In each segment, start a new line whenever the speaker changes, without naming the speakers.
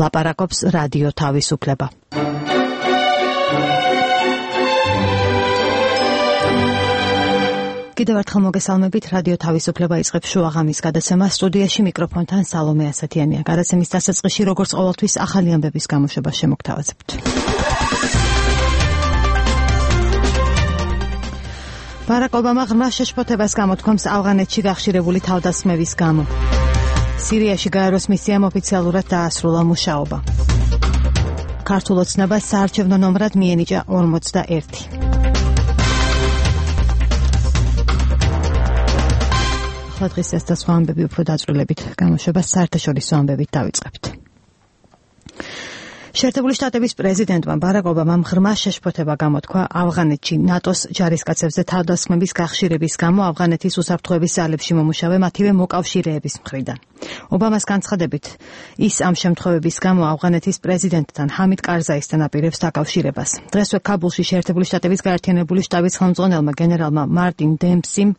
ლაპარაკობს რადიო თავისუფლება. კიდევ ერთხელ მოგესალმებით, რადიო თავისუფლება იწყებს შუაღამის გადაცემას. სტუდიაში მიკროფონთან სალომე ასათიანია. გადაცემის დასაწყისში, როგორც ყოველთვის, ახალი ამბების გამოშვებას შემოგთავაზებთ. ბარაკ ობამა ღრმა შეშფოთებას გამოთქვამს ავღანეთში გახშირებული თავდასხმების გამო. სირიაში გაეროს მისიამ ოფიციალურად დაასრულა მუშაობა. ქართულ ოცნებას საარჩევნო ნომრად მიენიჭა 41. დღეს ეს და სხვა ამბები უფრო დაწვრილებით გამოშვებას საერთაშორისო ამბებით დავიწყებთ. შეერთებული შტატების პრეზიდენტმა ბარაკ ობამამ ღრმა შეშფოთება გამოთქვა ავღანეთში ნატოს ჯარისკაცებზე თავდასხმების გახშირების გამო ავღანეთის უსაფრთხოების ძალებში მომუშავე მათივე მოკავშირეების მხრიდან. ობამას განცხადებით, ის ამ შემთხვევების გამო ავღანეთის პრეზიდენტთან ჰამიდ კარზაისთან აპირებს დაკავშირებას. დღესვე ქაბულში შეერთებული შტატების გაერთიანებული შტაბის ხელმძღვანელმა გენერალმა მარტინ დემპსიმ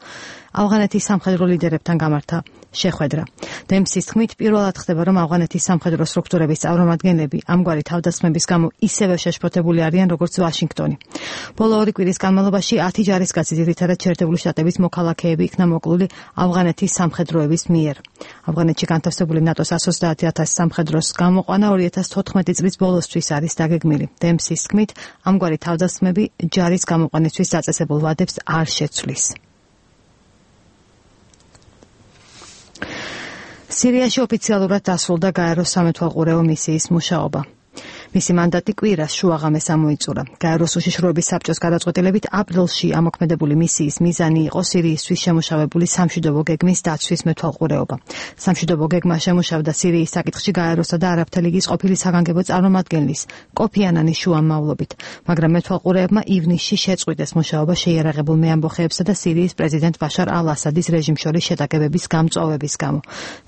ავღანეთის სამხედრო ლიდერებთან გამართა შეხვედრა. დემპსის თქმით, პირველად ხდება, რომ ავღანეთის სამხედრო სტრუქტურების წარმომადგენლები ამგვარი თავდასხმების გამო ისევე შეშფოთებული არიან, როგორც ვაშინგტონი. ბოლო 2 კვირის განმავლობაში 10 ჯარისკაცი, ძირითადად შეერთებული შტატების მოქალაქეები იქნა მოკლული ავღანეთის სამხედროების მიერ. ავღანეთში განთავსებული ნატოს 130,000 სამხედროს გამოყვანა 2014 წლის ბოლოსთვის არის დაგეგმილი. დემპსის თქმით, ამგვარი თავდასხმები ჯარის გამოყვანისთვის დაწესებულ ვადებს არ შეცვლის. სირიაში ოფიციალურად დასრულდა გაეროს სამეთვალყურეო მისიის მუშაობა. მისი მანდატი კვირას შუაღამეს ამოიწურა. გაეროს უშიშროების საბჭოს გადაწყვეტილებით აპრილში ამოქმედებული მისიის მიზანი იყო სირიისთვის შემუშავებული სამშვიდობო გეგმის დაცვის მეთვალყურეობა. სამშვიდობო გეგმა შემუშავდა სირიის საკითხში გაეროსა და არაბთა ლიგის ყოფილი საგანგებო წარმომადგენლის კოფი ანანის შუამავლობით, მაგრამ მეთვალყურეებმა ივნისში შეწყვიტეს მუშაობა შეიარაღებულ მეამბოხეებსა და სირიის პრეზიდენტ ბაშარ ალ-ასადის რეჟიმს შორის შეტაკებების გამწვავების გამო.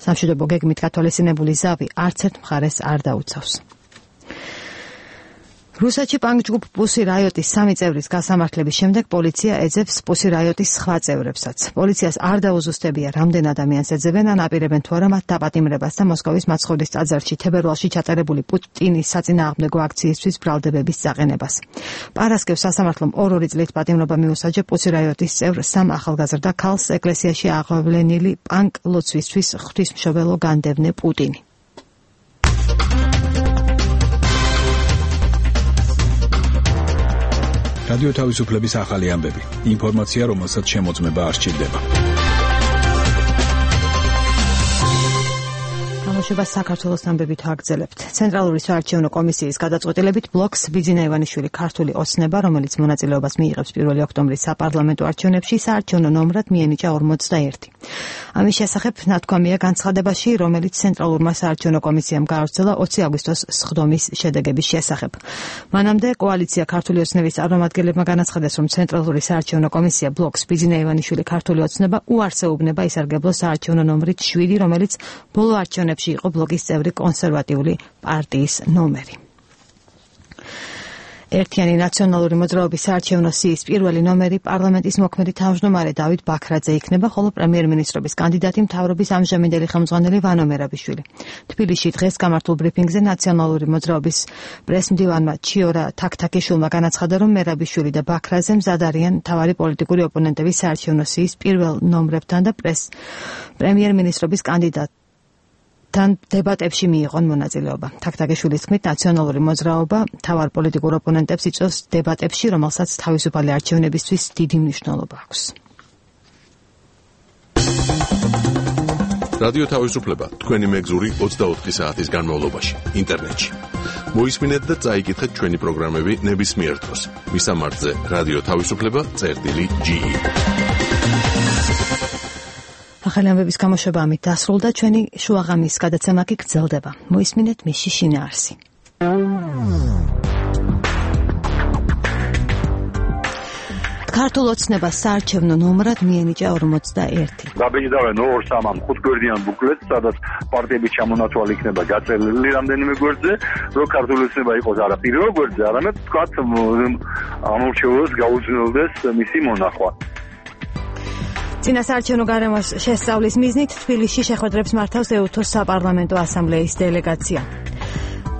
სამშვიდობო გეგმით გათვალისწინებული ზავი არც ერთ მხარეს არ დაუცავს. რუსეთში პანკ-ჯგუფ პუსი რაიოტის 3 წევრის გასამართლების შემდეგ პოლიცია ეძებს პუსი რაიოტის სხვა წევრებსაც. პოლიციას არ დაუზუსტებია, რამდენ ადამიანს ეძებენ ან აპირებენ თუ არა მათ დაპატიმრებას და მოსკოვის მაცხოვრის ტაძარში თებერვალში ჩატარებული პუტინის საწინააღმდეგო აქციისთვის ბრალდებების წაყენებას. პარასკევს სასამართლომ 2 წლით პატიმრობა მიუსაჯა პუსი რაიოტის წევრ 3 ახალგაზრდა ქალს ეკლესიაში აღვვლენილი პანკ ლოცვისთვის ღვთისმშობელო განდევნე პუტინი.
რადიო თავისუფლების ახალი ამბები. ინფორმაცია, რომელსაც შემოწმება არ სჭირდება.
გამოშვებას საქართველოს ამბებით ვაგრძელებთ. ცენტრალური საარჩევნო კომისიის გადაწყვეტილებით ბლოკს ბიძინა ივანიშვილი ქართული ოცნება, რომელიც მონაწილეობას მიიღებს 1 ოქტომბრის საპარლამენტო არჩევნებში, საარჩევნო ნომრად მიენიჭა 41. ამის შესახებ ნათქვამია განცხადებაში, რომელიც ცენტრალურმა საარჩევნო კომისიამ გაავრცელა 20 აგვისტოს სხდომის შედეგების შესახებ. მანამდე კოალიცია ქართული ოცნების წარმომადგენლებმა განაცხადეს, რომ ცენტრალური საარჩევნო კომისია ბლოკს ბიძინა ივანიშვილი ქართული ოცნება უარს ეუბნება ისარგებლოს საარჩევნო ნომრით 7, რომელიც ბოლო არჩევნებში იყო ბლოკის წევრი კონსერვატიული პარტიის ნომერი. ერთიანი ნაციონალური მოძრაობის საარჩევნო სიის პირველი ნომერი პარლამენტის მოქმედი თავმჯდომარე დავით ბაქრაძე იქნება, ხოლო პრემიერ-მინისტრობის კანდიდატი მთავრობის ამჟამინდელი ხელმძღვანელი ვანო მერაბიშვილი. თბილისში დღეს გამართულ ბრიფინგზე ნაციონალური მოძრაობის პრესმდივანმა ჩიორა თაქთაქიშვილმა განაცხადა, რომ მერაბიშვილი და ბაქრაძე მზად არიან მთავარი პოლიტიკური ოპონენტების საარჩევნო სიის პირველ ნომრებთან და პრემიერ-მინისტრობის კანდიდატ თან დებატებში მიიღონ მონაწილეობა. თაქთაქიშვილის თქმით, ნაციონალური მოძრაობა მთავარ პოლიტიკურ ოპონენტებს იწვევს დებატებში, რომელსაც თავისუფალი არჩევნებისთვის დიდი მნიშვნელობა აქვს.
რადიო თავისუფლება თქვენი მეგზური 24 საათის განმავლობაში ინტერნეტში. მოისმინეთ და წაიკითხეთ ჩვენი პროგრამები ნებისმიერ დროს. მისამართზე რადიო თავისუფლება.ge.
ახალი ამბების გამოშვება ამით დასრულდა. ჩვენი შუაღამის გადაცემა კი გრძელდება. მოისმინეთ მისი შინაარსი. ქართულ ოცნებას საარჩევნო ნომრად მიენიჭა 41.
გაბეჭდავენ 2-3 5 ბუკლეტს, სადაც პარტიების ჩამონათვალი იქნება გაწერილი რამდენიმე გვერდზე, რომ ქართული ოცნება იყოს არა პირველ გვერდზე, არამედ თქვათ ამორჩეულოს გაუძნელდეს მისი მონახვა.
წინასაარჩევნო გარემოს შესწავლის მიზნით თბილისში შეხვედრებს მართავს ეუთოს საპარლამენტო ასამბლეის დელეგაცია.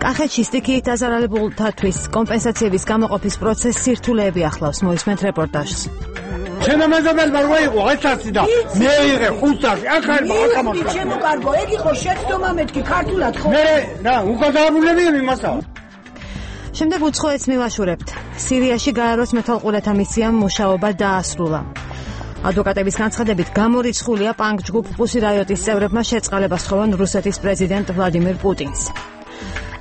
კახეთში სტიქიით დაზარალებულთათვის კომპენსაციების გამოყოფის პროცესი სირთულეები ახლავს, მოისმენთ რეპორტაჟს.
შემამეზობელ მარგვაიყო ეცაცი და მე ვიღე ხუთასი ახალი აკამაკა.
ჩემო კარგო, ეგ იყო შეცდომა მეთქი ქართულად ხო?
მე რა, უკადაბულები იმასა.
შემდეგ უცხოეთს მივაშურებთ. სირიაში გაეროს მეთვალყურეთა მისიამ მუშაობა დაასრულა. ადვოკატების განცხადებით გამორიცხულია პანკ ჯგუფ პუსი რაიოტის წევრებმა შეწყალებას სთხოვან რუსეთის პრეზიდენტ ვლადიმირ პუტინს.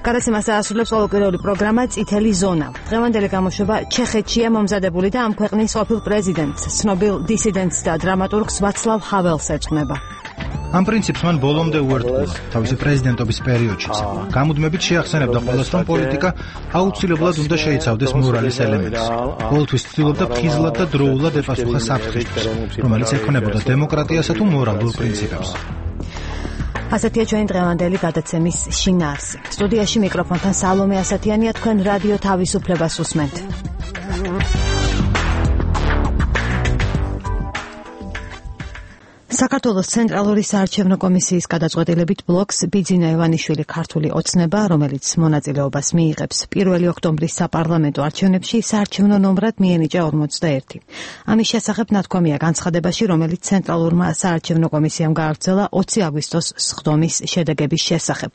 გადაცემას დაასრულებს ყოველკვირეული პროგრამა წითელი ზონა. დღევანდელი გამოშვება ჩეხეთშია მომზადებული და ამ ქვეყნის ყოფილ პრეზიდენტს, ცნობილ დისიდენტს და დრამატურგს ვაცლავ ჰაველს ეძღვნება.
ამ პრინციპს მან ბოლომდე უერთგულა თავისი პრეზიდენტობის პერიოდშიც. გამუდმებით შეახსენებდა ყველას, რომ პოლიტიკა აუცილებლად უნდა შეიცავდეს მორალის ელემენტს. ყოველთვის ცდილობდა ფხიზლად და დროულად ეპასუხა საფრთხისთვის, რომელიც ექნებოდა დემოკრატიასა თუ მორალურ პრინციპებს.
ასეთია ჩვენი დღევანდელი გადაცემის შინაარსი. სტუდიაში მიკროფონთან სალომე ასათიანია, თქვენ რადიო თავისუფლებას უსმენთ. საქართველოს ცენტრალური საარჩევნო კომისიის გადაწყვეტილებით ბლოკს ბიძინა ივანიშვილი ქართული ოცნება, რომელიც მონაწილეობას მიიღებს 1 ოქტომბრის საპარლამენტო არჩევნებში, საარჩევნო ნომრად მიენიჭა 41. ამის შესახებ ნათქვამია განცხადებაში, რომელიც ცენტრალურმა საარჩევნო კომისიამ გააგრძელა 20 აგვისტოს სხდომის შედეგების შესახებ.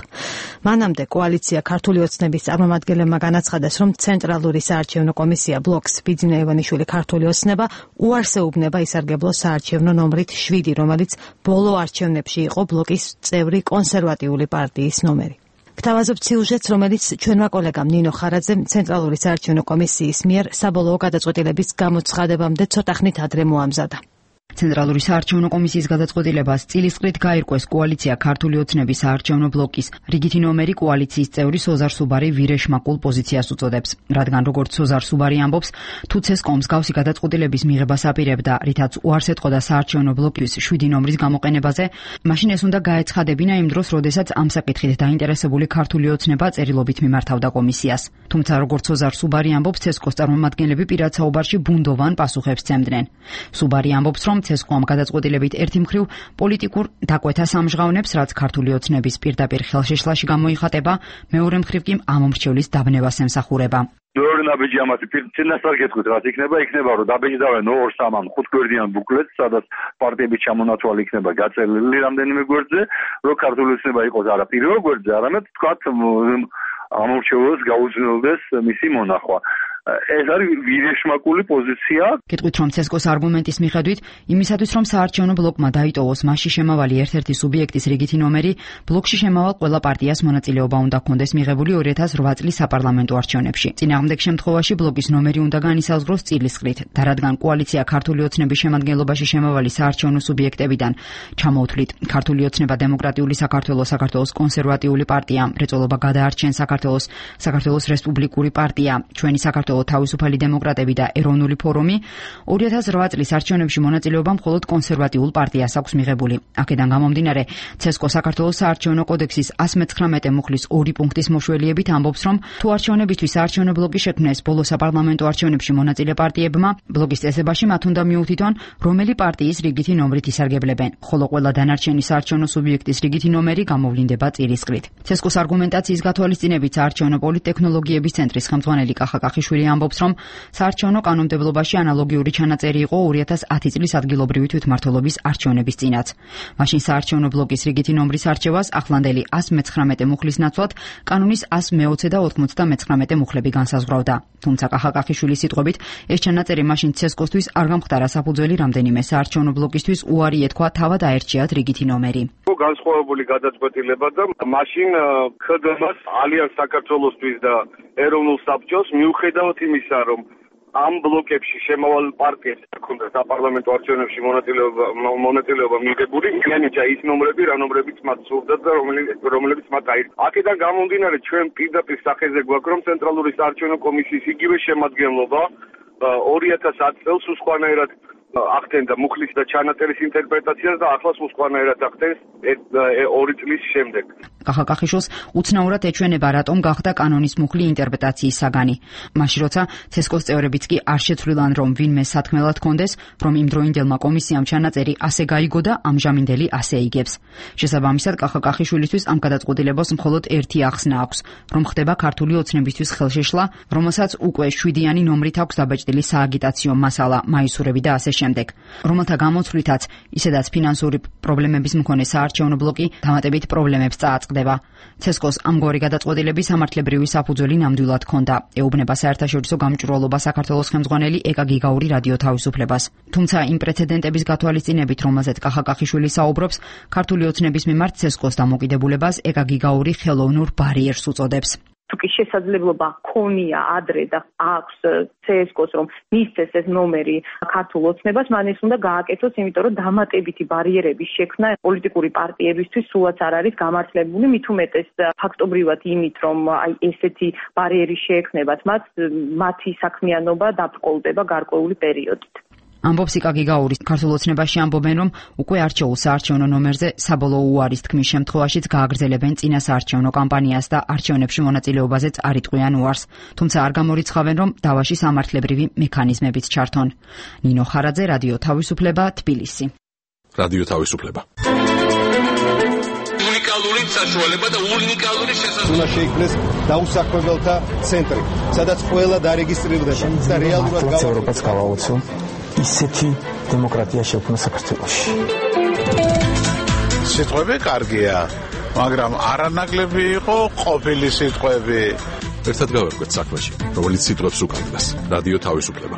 მანამდე კოალიცია ქართული ოცნების წარმომადგენლებმა განაცხადეს, რომ ცენტრალური საარჩევნო კომისია ბლოკს ბიძინა ივანიშვილი ქართული ოცნება უარს ეუბნება ისარგებლოს საარჩევნო ნომრით 7, რომელიც ბოლო არჩევნებში იყო ბლოკის წევრი კონსერვატიული პარტიის ნომერი. გთავაზობთ სიუჟეტს, რომელიც ჩვენმა კოლეგამ ნინო ხარაძემ ცენტრალური საარჩევნო კომისიის მიერ საბოლოო გადაწყვეტილების გამოცხადებამდე ცოტა ხნით ადრე მოამზადა.
ცენტრალური საარჩევნო კომისიის გადაწყვეტილებას წილისყრით გაირკვეს კოალიცია ქართული ოცნების საარჩევნო ბლოკის რიგითი ნომერი კოალიციის წევრი სოზარ სუბარი ვირეშმაკულ პოზიციას უწოდებს, რადგან როგორც სოზარ სუბარი ამბობს, თუ ცესკომ მსგავსი გადაწყვეტილების მიღებას აპირებდა, რითაც უარს ეტყოდა საარჩევნო ბლოკის 7 ნომრის გამოყენებაზე, მაშინ ეს უნდა გაეცხადებინა იმ დროს, როდესაც ამ საკითხით დაინტერესებული ქართული ოცნება წერილობით მიმართავდა კომისიას. თუმცა როგორც სოზარ სუბარი ამბობს, ცესკოს წარმომადგენლები პირად საუბარში ბუნდოვან პასუხებს სცემდნენ. სუბარი ამბობს, რომ ცესკომ გადაწყვეტილებით ერთი მხრივ პოლიტიკურ დაკვეთას ამჟღავნებს, რაც ქართული ოცნების პირდაპირ ხელშეშლაში გამოიხატება, მეორე მხრივ კი ამომრჩევლის დაბნევას ემსახურება.
მეორე ნაბიჯი ამათი წინასწარ გეტყვით, რაც იქნება, რომ დაბეჭდავენ 2-3-5 გვერდიან ბუკლეტს, სადაც პარტიების ჩამონათვალი იქნება გაწერილი რამდენიმე გვერდზე, რომ ქართული ოცნება იყოს არა პირველ გვერდზე, არამედ თქვათ ამორჩეულს გაუძნელდეს მისი მონახვა. ეს არის ვირეშმაკული პოზიცია.
გეტყვით, რომ ცესკოს არგუმენტის მიხედვით, იმისათვის, რომ საარჩევნო ბლოკმა დაიტოვოს მასში შემავალი ერთ-ერთი სუბიექტის რიგითი ნომერი, ბლოკში შემავალ ყველა პარტიას მონაწილეობა უნდა ჰქონდეს მიღებული 2008 წლის საპარლამენტო არჩევნებში. წინააღმდეგ შემთხვევაში ბლოკის ნომერი უნდა განისაზღვროს წილისყრით და რადგან კოალიცია ქართული ოცნების შემადგენლობაში შემავალი საარჩევნო სუბიექტებიდან ჩამოუთვლით ქართული ოცნება დემოკრატიული საქართველოს, საქართველოს კონსერვატიული პარტია, მრეწველობა გადაარჩენ საქართველოს რესპუბლიკური პარტია, ჩვენი საქართველოს თავისუფალი დემოკრატები და ეროვნული ფორუმი 2008 წლის არჩევნებში მონაწილეობა მხოლოდ კონსერვატიულ პარტიას აქვს მიღებული. აქედან გამომდინარე, ცესკო საქართველოს საარჩევნო კოდექსის 119 მუხლის 2 პუნქტის მოშველიებით ამბობს, რომ თუ არჩევნებისთვის საარჩევნო ბლოკი შექმნეს ბოლო საპარლამენტო არჩევნებში მონაწილე პარტიებმა, ბლოკის წესებაში მათ უნდა მიუთითონ, რომელი პარტიის რიგითი ნომრით ისარგებლებენ, ხოლო ყველა დანარჩენი საარჩევნო სუბიექტის რიგითი ნომერი გამოვლინდება წილისყრით. ცესკოს არგუმენტაციის გათვალისწინებით საარჩევნო პოლიტექნოლოგიების ცენტრის ხელმძღვანელი კახა კახიშვილი ამბობს, რომ საარჩევნო კანონმდებლობაში ანალოგიური ჩანაწერი იყო 2010 წლის ადგილობრივი თვითმმართველობის არჩევნების წინაც. მაშინ საარჩევნო ბლოკის რიგითი ნომრის არჩევას ახლანდელი 119 მუხლის ნაცვლად კანონის 120 და 99 მუხლები განსაზღვრავდა. თუმცა კახა კახიშვილის სიტყვებით, ეს ჩანაწერი მაშინ ცესკოსთვის არ გამხდარა საფუძველი რამდენიმე საარჩევნო ბლოკისთვის უარი ეთქვა თავად აერჩიათ რიგითი ნომერი.
განსხვავებული გადაწყვეტილება და მაშინ ХДՄ-ს ალიანს საქართველოსთვის და ეროვნულ საბჭოს მიუხედავად იმისა, რომ ამ ბლოკებში შემავალ პარტიებს ჰქონდა საპარლამენტო არჩევნებში მონაწილეობა მიღებული, მიანიჭა ის ნომრები, რა ნომრებიც მათ სურდათ და რომლებიც მათ აირჩიეს. აქედან გამომდინარე, ჩვენ პირდაპირ სახეზე გვაქვს, რომ ცენტრალური საარჩევნო კომისიის იგივე შემადგენლობა 2010 წელს უსხვანაირად ახდენდა მუხლის და ჩანაწერის ინტერპრეტაციას და ახლა უსხვანაირად ახდენს 2 წლის შემდეგ.
კახაკახიშვილს უცნაურად ეჩვენება, რატომ გახდა კანონის მუხლი ინტერპრეტაციის საგანი. მაშინ როცა ცესკოს წევრებიც კი არ შეცვლილან, რომ ვინმე სათქმელად კონდეს, რომ იმდროინდელმა კომისიამ ჩანაწერი ასე გაიგო და ამჟამინდელი ასე იგებს. შესაბამისად, კახაკახიშვილისთვის ამ გადაწყვეტილებას მხოლოდ ერთი ახსნა აქვს, რომ ხდება ქართული ოცნებისთვის ხელშეშლა, რომელსაც უკვე 7-იანი ნომრით აქვს დაბეჭდილი სააგიტაციო მასალა, მაისურები და ასე შემდეგ. რომელთა გამოცვლითაც ისედაც ფინანსური პრობლემების მქონე საარჩევნო ბლოკი დამატებით პრობლემებს წააწყდება. ცესკოს ამგვარი გადაწყვეტილების სამართლებრივი საფუძველი ნამდვილად ჰქონდა. ეუბნება საერთაშორისო გამჭვირვალობა საქართველოს ხელმძღვანელი ეკა გიგაური რადიო თავისუფლებას. თუმცა იმ პრეცედენტების გათვალისწინებით, რომელზეც კახაკახიშვილი საუბრობს, ქართული ოცნების მიმართ ცესკოს დამოკიდებულებას ეკა გიგაური ხელოვნურ ბარიერს უწოდებს.
თუკი შესაძლებლობა ქონია ადრე და აქვს CSKOS რომ მისცეს ეს ნომერი ქართულ ოცნებას, მან ეს უნდა გააკეთოს, იმიტომ რომ დამატებითი ბარიერების შექმნა პოლიტიკური პარტიებისთვის სულაც არ არის გამართლებული, მით უმეტეს ფაქტობრივად იმით, რომ აი ესეთი ბარიერი შეექმნებათ მათ, მათი საქმიანობა დაბრკოლდება გარკვეული პერიოდით.
ამბობს იკა გიგაური. ქართულ ოცნებაში ამბობენ, რომ უკვე არჩეულ საარჩევნო ნომერზე საბოლოო უარის თქმის შემთხვევაშიც გააგრძელებენ წინა საარჩევნო კამპანიას და არჩევნებში მონაწილეობაზეც არ იტყვიან უარს. თუმცა არ გამორიცხავენ, რომ დავაში სამართლებრივი მექანიზმებიც ჩართონ. ნინო ხარაძე, რადიო თავისუფლება, თბილისი.
რადიო თავისუფლება.
უნიკალური საშუალება და უნიკალური შესაძლებლობა.
უნდა შეიქმნეს დაუსაქმებელთა ცენტრი, სადაც ყველა დარეგისტრირდება და რეალურად
ევროპას გავაოცო. ისეთი დემოკრატია შექმნა საქართველოში.
სიტყვები კარგია, მაგრამ არანაკლები იყო ყოფილი სიტყვები.
ერთად გავერკვეთ საქმეში, რომელიც სიტყვებს უკავშირდება. რადიო თავისუფლება.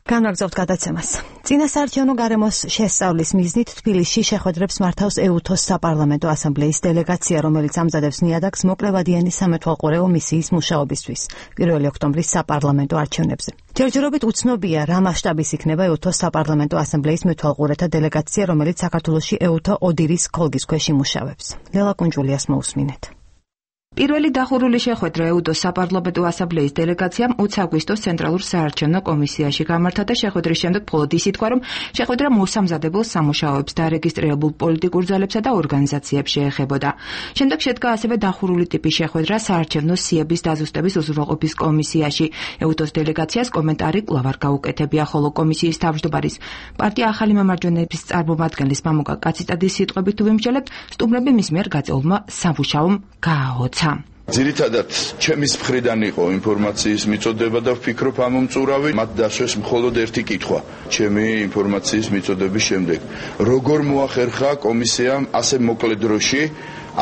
განვაგრძობთ გადაცემას. წინასაარჩევნო გარემოს შესწავლის მიზნით თბილისში შეხვედრებს მართავს ეუთოს საპარლამენტო ასამბლეის დელეგაცია, რომელიც ამზადებს ნიადაგს მოკლევადიანი სამეთვალყურეო მისიის მუშაობისთვის 1 ოქტომბრის საპარლამენტო არჩევნებზე. ჯერჯერობით უცნობია, რა მასშტაბის იქნება ეუთოს საპარლამენტო ასამბლეის მეთვალყურეთა დელეგაცია, რომელიც საქართველოში ეუთო ოდირის ქოლგის ქვეშ იმუშავებს. ლელა კუნჯულიას მოусმინეთ.
პირველი დახურული შეხვედრა ეუთოს საპარლამენტო ასამბლეის დელეგაციამ 20 აგვისტოს ცენტრალურ საარჩევნო კომისიაში გამართა და შეხვედრის შემდეგ მხოლოდ ის ითქვა, რომ შეხვედრა მოსამზადებელ სამუშაოებს დარეგისტრირებულ პოლიტიკურ ძალებსა და ორგანიზაციებს შეეხებოდა. შემდეგ შედგა ასევე დახურული ტიპის შეხვედრა საარჩევნო სიების დაზუსტების უზრუნველყოფის კომისიაში. ეუთოს დელეგაციას კომენტარი კვლავ არ გაუკეთებია, ხოლო კომისიის თავმჯდომარის პარტია ახალი მემარჯვენეების წარმომადგენლის მამუკა კაციტადის სიტყვებით თუ ვიმსჯელებთ, სტუმრები მის მიერ გაწეულმა სამუშაომ გააოცა.
ძირითადად ჩემის მხრიდან იყო ინფორმაციის მიწოდება და ვფიქრობ ამ მომწურავი მათ დასვეს მხოლოდ ერთი კითხვა ჩემი ინფორმაციის მიწოდების შემდეგ. როგორ მოახერხა კომისიამ ასე მოკლე დროში,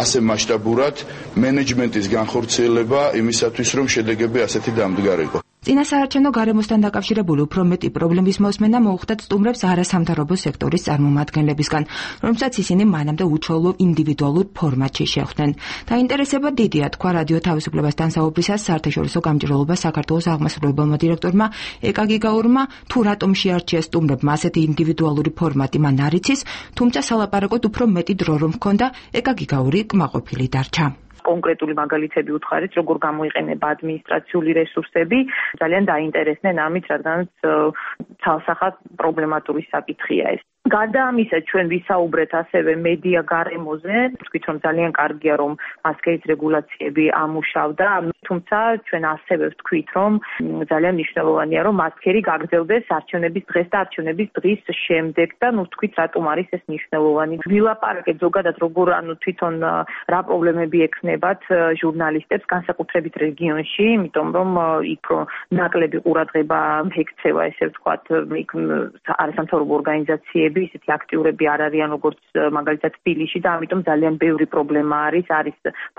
ასე მასშტაბურად მენეჯმენტის განხორციელება იმისათვის, რომ შედეგები ასეთი დამდგარიყო.
წინასაარჩევნო გარემოსთან დაკავშირებული უფრო მეტი პრობლემის მოსმენა მოუხდათ სტუმრებს არასამთავრობო სექტორის წარმომადგენლებისგან, რომელსაც ისინი მანამდე უჩვეულო ინდივიდუალურ ფორმატში შეხვდნენ. დაინტერესება დიდია, თქვა რადიო თავისუფლებასთან საუბრისას საერთაშორისო გამჭვირვალობა საქართველოს აღმასრულებელმა დირექტორმა ეკა გიგაურმა, თუ რატომ შეარჩია სტუმრებმა ასეთი ინდივიდუალური ფორმატი, მან არ იცის, თუმცა სალაპარაკოდ უფრო მეტი დრო რომ ჰქონდა, ეკა გიგაური კმაყოფილი დარჩა.
კონკრეტული მაგალითები უთხარით, როგორ გამოიყენება ადმინისტრაციული რესურსები, ძალიან დაინტერესდნენ ამით, რადგანაც ცალსახად პრობლემატური საკითხია ეს. გარდა ამისა, ჩვენ ვისაუბრეთ ასევე მედია გარემოზე, ვთქვით, რომ ძალიან კარგია, რომ მასკების რეგულაციები ამუშავდა, თუმცა ჩვენ ასევე ვთქვით, რომ ძალიან მნიშვნელოვანია, რომ მასკერი გაგრძელდეს არჩევნების დღეს და არჩევნების დღის შემდეგ და ვთქვით, რატომ არის ეს მნიშვნელოვანი. ვილაპარაკეთ ზოგადად, როგორ თვითონ რა პრობლემები ექნებათ ჟურნალისტებს, განსაკუთრებით რეგიონში, იმიტომ რომ იქ ნაკლები ყურადღება ექცევა, ესე ვთქვათ, იქ არასამთავრობო ორგანიზაციები ისეთი აქტიურები არ არიან როგორც მაგალითად თბილისში და ამიტომ ძალიან ბევრი პრობლემა არის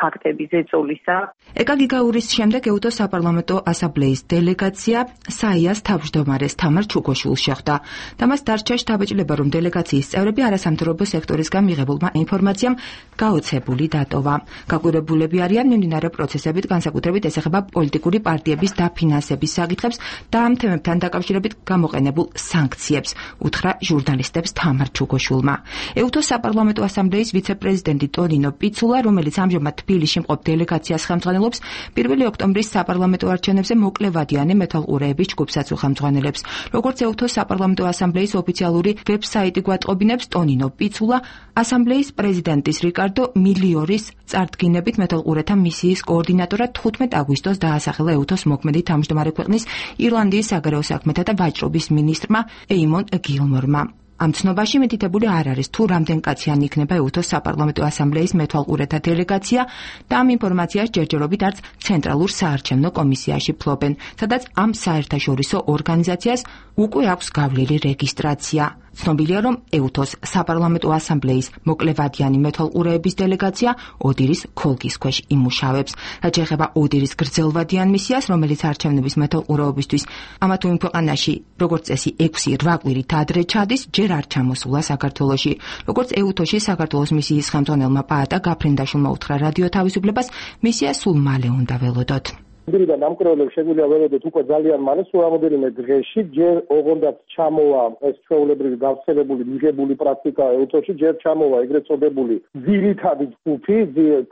ფაქტები ზეწოლისა.
ეკა გიგაურის შემდეგ ეუთოს საპარლამენტო ასამბლეის დელეგაცია საიას თავმჯდომარეს თამარ ჩუგოშვილს შეხვდა და მას დარჩა შთაბეჭდილება, რომ დელეგაციის წევრები არასამთავრობო სექტორისგან მიღებულმა ინფორმაციამ გაოცებული დატოვა. გაკვირვებულები არიან მიმდინარე პროცესებით, განსაკუთრებით ეს ეხება პოლიტიკური პარტიების დაფინანსების საკითხებს და ამ თემებთან დაკავშირებით გამოყენებულ სანქციებს, უთხრა ჟურნალისტებს მიღებს თამარ ჩუგოშვილმა. ეუთოს საპარლამენტო ასამბლეის ვიცე-პრეზიდენტი ტონინო პიცულა, რომელიც ამჟამად თბილისში მყოფ დელეგაციას ხელმძღვანელობს, 1 ოქტომბრის საპარლამენტო არჩევნებზე მოკლევადიანი მეთვალყურეების ჯგუფსაც ხელმძღვანელებს. როგორც ეუთოს საპარლამენტო ასამბლეის ოფიციალური ვებსაიტი გვატყობინებს, ტონინო პიცულა ასამბლეის პრეზიდენტის რიკარდო მილიორის წარდგინებით მეთვალყურეთა მისიის კოორდინატორად 15 აგვისტოს დაასახელა ეუთოს მოქმედი თავმჯდომარე ქვეყნის ირლანდიის საგარეო საქმეთა და ვაჭრობის მინისტრმა ეიმონ გილმორმა. ამ ცნობაში მითითებული არ არის თუ რამდენ კაციანი იქნება ეუთოს საპარლამენტო ასამბლეის მეთვალყურეთა დელეგაცია და ამ ინფორმაციას ჯერჯერობით არც ცენტრალურ საარჩევნო კომისიაში ფლობენ, სადაც ამ საერთაშორისო ორგანიზაციას უკვე აქვს გავლილი რეგისტრაცია. ცნობილია, რომ ეუთოს საპარლამენტო ასამბლეის მოკლევადიანი მეთვალყურეების დელეგაცია ოდირის ქოლგის ქვეშ იმუშავებს. რაც ეხება ოდირის გრძელვადიან მისიას, რომელიც არჩევნების მეთვალყურეობისთვის ამა თუ იმ ქვეყანაში, როგორც წესი 6-8 კვირით ადრე ჩადის, ჯერ არ ჩამოსულა საქართველოში. როგორც ეუთოში საქართველოს მისიის ხელმძღვანელმა პაატა გაფრინდაშვილმა უთხრა რადიო თავისუფლებას, მისია სულ მალე უნდა ველოდოთ.
მდრიდან ამკრევლებს შეგვიძლია ველოდოთ უკვე ძალიან მალე, სულ რამოდენიმე დღეში, ჯერ ოღონდაც ჩამოვა ეს ჩვეულებრივი გავრცელებული მიღებული პრაქტიკა ეუთოში, ჯერ ჩამოვა ეგრეთ წოდებული ძირითადი ჯგუფი,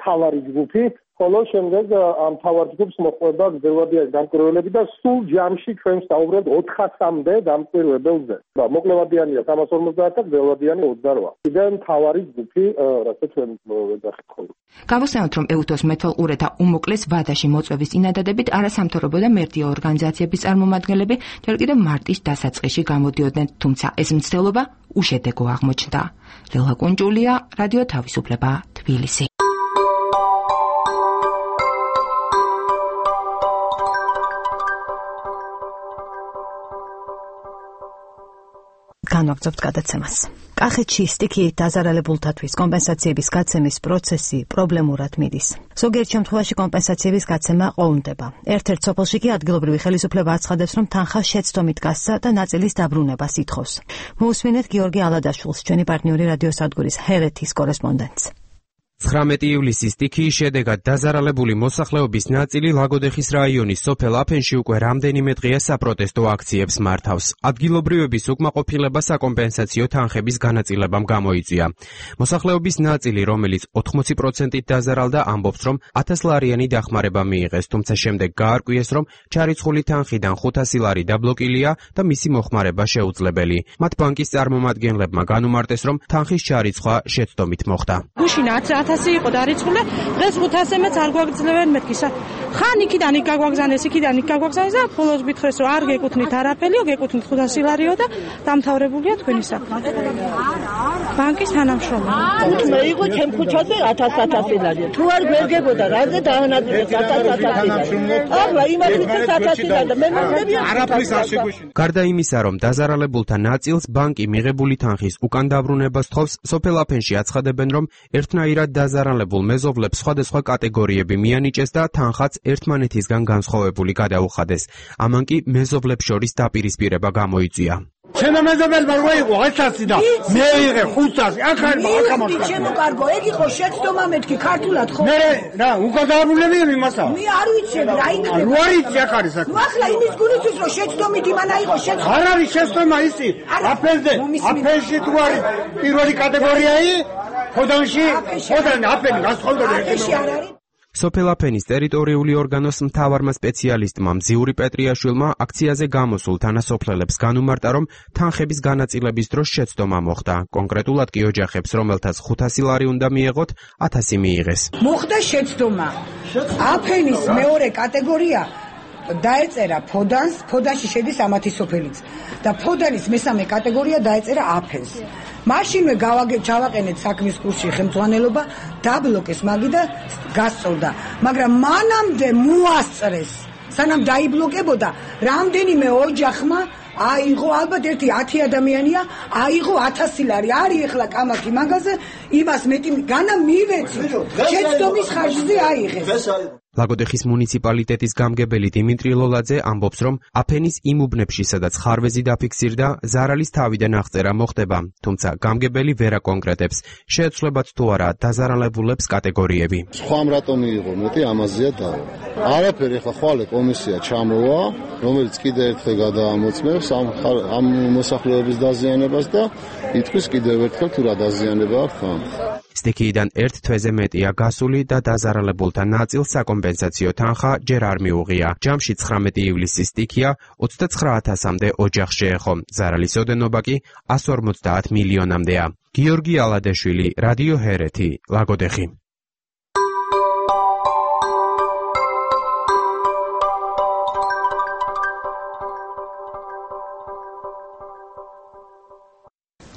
თავარი ჯგუფი, ხოლო შემდეგ ამ თავარ ჯგუფს მოყვება გრძელვადიანი დამკვირვებლები და სულ ჯამში ჩვენ ვსაუბრობთ 400-მდე დამკვირვებელზე. მოკლევადიანია 350 და გრძელვადიანი 28.იდან თავარი ჯგუფი, რასაც ჩვენ ვეძახით ხოლმე.
გავუსწრებთ, რომ ეუთოს მეთვალყურეთა უმოკლეს ვადაში მოწვევის წინადადებით არასამთავრობო და მერდია ორგანიზაციების წარმომადგენლები ჯერ კიდევ მარტის დასაწყისში გამოდიოდნენ, თუმცა ეს მცდელობა უშედეგო აღმოჩნდა. ლელა კუნჯულია, რადიო თავისუფლება, თბილისი.
განვაგრძობთ გადაცემას. კახეთში სტიქიით დაზარალებულთათვის კომპენსაციების გაცემის პროცესი პრობლემურად მიდის. ზოგიერთ შემთხვევაში კომპენსაციების გაცემა ყოუნდება. ერთ-ერთ სოფელში კი ადგილობრივი ხელისუფლება აცხადებს, რომ თანხა შეცდომით გასცა და ნაწილის დაბრუნებას ითხოვს. მოусმინეთ გიორგი ალადაშვილს, ჩვენი პარტნიორი რადიოსადგურის ჰერეთის კორესპონდენტს.
19 ივლისის სტიქიის შედეგად დაზარალებული მოსახლეობის ნაწილი ლაგოდეხის რაიონის სოფელ აფენში უკვე რამდენიმე დღეა საპროტესტო აქციებს მართავს. ადგილობრივების უკმაყოფილება საკომპენსაციო თანხების განაწილებამ გამოიწვია. მოსახლეობის ნაწილი, რომელიც 80%-ით დაზარალდა, ამბობს, რომ 1000 ლარიანი დახმარება მიიღეს, თუმცა შემდეგ გაარკვიეს, რომ ჩარიცხული თანხიდან 500 ლარი დაბლოკილია და მისი მოხმარება შეუძლებელი. მათ ბანკის წარმომადგენლებმა განუმარტეს, რომ თანხის ჩარიცხვა შეცდომით მოხდა.
1000 იყო დარიცხული, დღეს 500-მეც არ გვაგრძელებენ მეთქი. ხან იქიდან იქ გაგვაგზავნეს, იქიდან იქ გაგვაგზავნეს და ბოლოს გითხრეს, რომ არ გეკუთვნით არაფერიო, გეკუთვნით 500 ლარიო და დამთავრებულია თქვენი საქმე. ბანკის თანამშრომელი.
უთმე იყო ჩემ ქუჩაზე 1000 ლარია. თუ არ გვერგებოდა, რაზე დაანაწილეს 1000 ლარია. ახლა იმასაც 1000 ლარია და მე მოგდები
არაფრის არ შეგვეშინა. გარდა იმისა, რომ დაზარალებულთა ნაწილს ბანკი მიღებული თანხის უკან დაბრუნებას თხოვს, სოფელ აფენში აცხადებენ, რომ ერთნაირად დაზარალებულ მეზობლებს სხვადასხვა კატეგორიები მიანიჭეს და თანხაც ერთმანეთისგან განსხვავებული გადაუხადეს. ამან კი მეზობლებს შორის დაპირისპირება გამოიწვია.
ჩემო მეზობელმა რო იყო 100 და მე ვიღე 500, აქ არ მოკამოხდა.
ჩემო კარგო, ეგ იყო შეცდომა მეთქი ქართულად ხო?
მე რა, უკადაბრუნები იმასა.
მე არ ვიცები რა იქნება.
რო არის აქ არის აქ.
ნუ ახლა იმის გულისთვის რომ შეცდომით იმან აიღო შეცდომა.
არ არის შეცდომა ისი. აფენში თუ არის პირველი კატეგორიայի ხოდანში, აფენი გასხოვდა
აფენში არ არის.
სოფელ აფენის ტერიტორიული ორგანოს მთავარმა სპეციალისტმა მზიური პეტრიაშვილმა აქციაზე გამოსულ თანასოფლელებს განუმარტა, რომ თანხების განაწილების დროს შეცდომა მოხდა. კონკრეტულად კი ოჯახებს, რომელთაც 500 ლარი უნდა მიეღოთ, 1000 მიიღეს.
მოხდა შეცდომა. აფენის მეორე კატეგორია დაეწერა ფოდანს, ფოდანში შედის ამათი სოფელიც და ფოდანის მესამე კატეგორია დაეწერა აფენს. მაშინვე ჩავაყენეთ საქმის კურსში ხელმძღვანელობა, დაბლოკეს მაგი და გასწორდა. მაგრამ მანამდე მოასწრეს, სანამ დაიბლოკებოდა, რამდენიმე ოჯახმა აიღო, ალბათ ერთი 10 ადამიანია, აიღო 1000 ლარი. არის ახლა კამათი მაგაზე, იმას მეტი განა მივეცი. შეცდომის ხარჯზე აიღეს.
ლაგოდეხის მუნიციპალიტეტის გამგებელი დიმიტრი ლოლაძე ამბობს, რომ აფენის იმ უბნებში, სადაც ხარვეზი დაფიქსირდა, ზარალის თავიდან აღწერა მოხდება, თუმცა გამგებელი ვერ აკონკრეტებს, შეეცვლებათ თუ არა დაზარალებულებს კატეგორიები.
სხვა რატომ მიიღო მეტი ამაზეა დავა. არაფერი ახლა ხვალე კომისია ჩამოვა, რომელიც კიდე ერთხელ გადაამოწმებს ამ მოსახლეობის დაზიანებას და ითქვის კიდევ ერთხელ თუ რა დაზიანება აქვს ამ.
სტიქიიდან ერთ თვეზე მეტია გასული და დაზარალებულთა ნაწილს საკომპენსაციო თანხა ჯერ არ მიუღია. ჯამში 19 ივლისის სტიქია 29,000-მდე ოჯახს შეეხო. ზარალის ოდენობა კი 150 მილიონამდეა. გიორგი ალადეშვილი, რადიო ჰერეთი, ლაგოდეხი.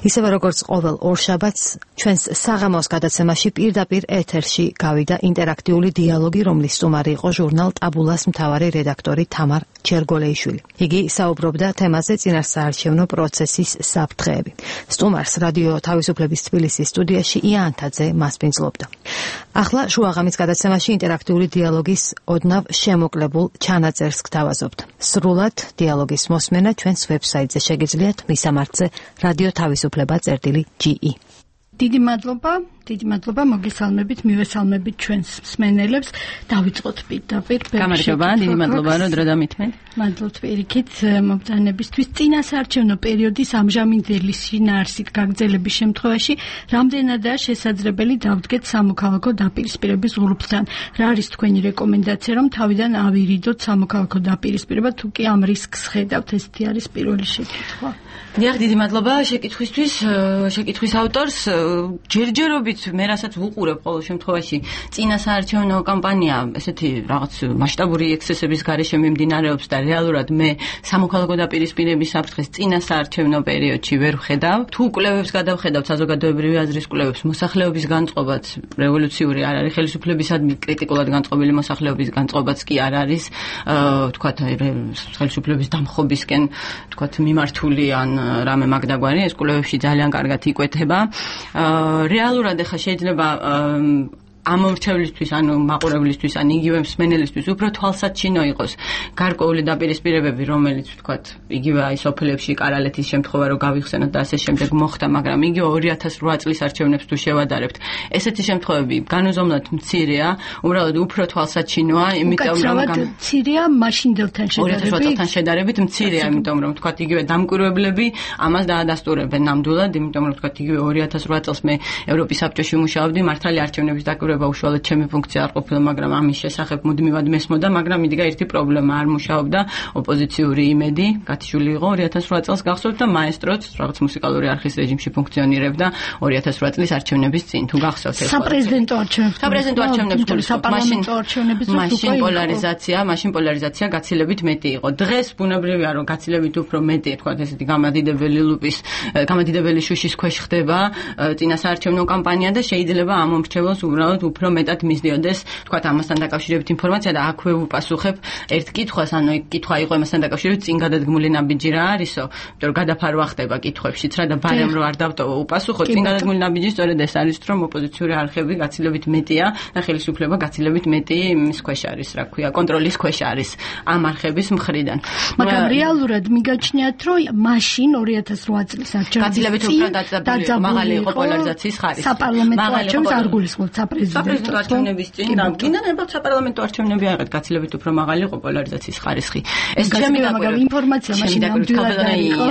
ისევე როგორც ყოველ ორშაბათს ჩვენს საღამოს გადაცემაში პირდაპირ ეთერში გავიდა ინტერაქტიული დიალოგი, რომლის სტუმარი იყო ჟურნალ ტაბულას მთავარი რედაქტორი თამარ ჩერგოლეიშვილი. იგი საუბრობდა თემაზე წინასაარჩევნო პროცესის საფრთხეები. სტუმარს რადიო თავისუფლების თბილისის სტუდიაში იანთაძე მასპინძლობდა. ახლა შუაღამის გადაცემაში ინტერაქტიული დიალოგის ოდნავ შემოკლებულ ჩანაწერს გთავაზობთ. სრულად დიალოგის მოსმენა ჩვენს ვებსაიტზე შეგიძლიათ მისამართზე რადიო თავისუფლება.ge.
დიდი მადლობა, მოგესალმებით, მივესალმებით ჩვენს მსმენელებს. დავიწყოთ პირდაპირ.
გამარჯობა, დიდი მადლობა, რომ დრო დამითმეთ.
მადლობთ პირიქით მობრძანებისთვის. წინასაარჩევნო პერიოდის ამჟამინდელი შინაარსით გაგრძელების შემთხვევაში რამდენადაა შესაძლებელი დავდგეთ სამოქალაქო დაპირისპირების ღრუბლთან. რა არის თქვენი რეკომენდაცია, რომ თავიდან ავირიდოთ სამოქალაქო დაპირისპირება, თუ კი ამ რისკს ხედავთ? ესეთი არის პირველი შეკითხვა.
დიახ, დიდი მადლობა შეკითხვისთვის, შეკითხვის ავტორს. ჯერჯერობით მე რასაც ვუყურებ ყოველ შემთხვევაში წინასაარჩევნო კამპანია ესეთი რაღაც მასშტაბური ექსცესების გარეშე მიმდინარეობს და რეალურად მე სამოქალაქო დაპირისპირების საფრთხეს წინასაარჩევნო პერიოდში ვერ ვხედავ. თუ კვლევებს გადავხედავ, საზოგადოებრივი აზრის კვლევებს, მოსახლეობის განწყობაც რევოლუციური არ არის, ხელისუფლებისადმი კრიტიკულად განწყობილი მოსახლეობის განწყობაც კი არ არის, თქვათ ხელისუფლების დამხობისკენ, თქვათ მიმართული ან რამე მაგდაგვარი, ეს კვლევებში ძალიან კარგად იკვეთება. რეალურად ახლა შეიძლება ამორჩევლისთვის, ანუ მაყურებლისთვის, ან იგივე მსმენელისთვის უფრო თვალსაჩინო იყოს გარკვეული დაპირისპირებები, რომელიც ვთქვათ, იგივე აი სოფლებში კარალეთის შემთხვევა რო გავიხსენოთ და ასე შემდეგ მოხდა, მაგრამ იგივე 2008 წლის არჩევნებს თუ შევადარებთ, ესეთი შემთხვევები განუზომლად მცირეა, უბრალოდ უფრო თვალსაჩინოა, იმიტომ რომ
მცირეა მაშინდელთან შედარებით.
2008 წელთან შედარებით მცირეა, იმიტომ რომ ვთქვათ, იგივე დამკვირვებლები ამას დაადასტურებენ ნამდვილად, იმიტომ რომ ვთქვათ, იგივე 2008 წელს მე ევროპის საბჭოში მუშაობდი, მართალი არჩევნების დაკვირვება უშუალოდ ჩემი ფუნქცია არ ყოფილა, მაგრამ ამის შესახებ მუდმივად მესმოდა, მაგრამ იდგა ერთი პრობლემა, არ მუშაობდა ოპოზიციური იმედი, გათიშული იყო 2008 წელს გახსოვთ და მაესტროც რაღაც მუსიკალური არხის რეჟიმში ფუნქციონირებდა 2008 წლის არჩევნების წინ, თუ გახსოვთ ეს.
საპრეზიდენტო არჩევნებს
მაშინ პოლარიზაცია გაცილებით მეტი იყო. დღეს ბუნებრივია, რომ გაცილებით უფრო მეტი, თქვათ ესეთი გამადიდებელი შუშის ქვეშ ხდება წინასაარჩევნო კამპანია და შეიძლება ამ მომრჩეველს უბრალოდ უფრო მეტად მისდიოდეს, თქვათ, ამასთან დაკავშირებით ინფორმაცია და აქვე ვუპასუხებ ერთ კითხვას, ანუ კითხვა იყო ამასთან დაკავშირებით წინ გადადგმული ნაბიჯი რა არისო, იმიტომ რომ გადაფარვა ხდება კითხვებშიც რა და ბარემ რო არ დავტოვო უპასუხო, წინ გადადგმული ნაბიჯი სწორედ ეს არის, რომ ოპოზიციური არხები გაცილებით მეტია და ხელისუფლება გაცილებით მეტი იმის ქვეშ არის, რა ქვია, კონტროლის ქვეშ არის ამ არხების მხრიდან.
მაგრამ რეალურად მიგაჩნიათ, რომ მაშინ 2008 წლის არჩევნებში
გაცილებით უფრო დაძაბული მაღალი იყო პოლარიზაციის ხარისხი.
საპარლამენტო არჩევნებს არ გულისხმობთ
საპრეზიდენტო არჩევნების წინ და კიდევ ნებავთ საპარლამენტო არჩევნები აღეთ გაცილებით უფრო მაღალი იყო პოლარიზაციის ხარისხი. ეს ჩემი
ინფორმაცია მაშინ ნამდვილად იყო.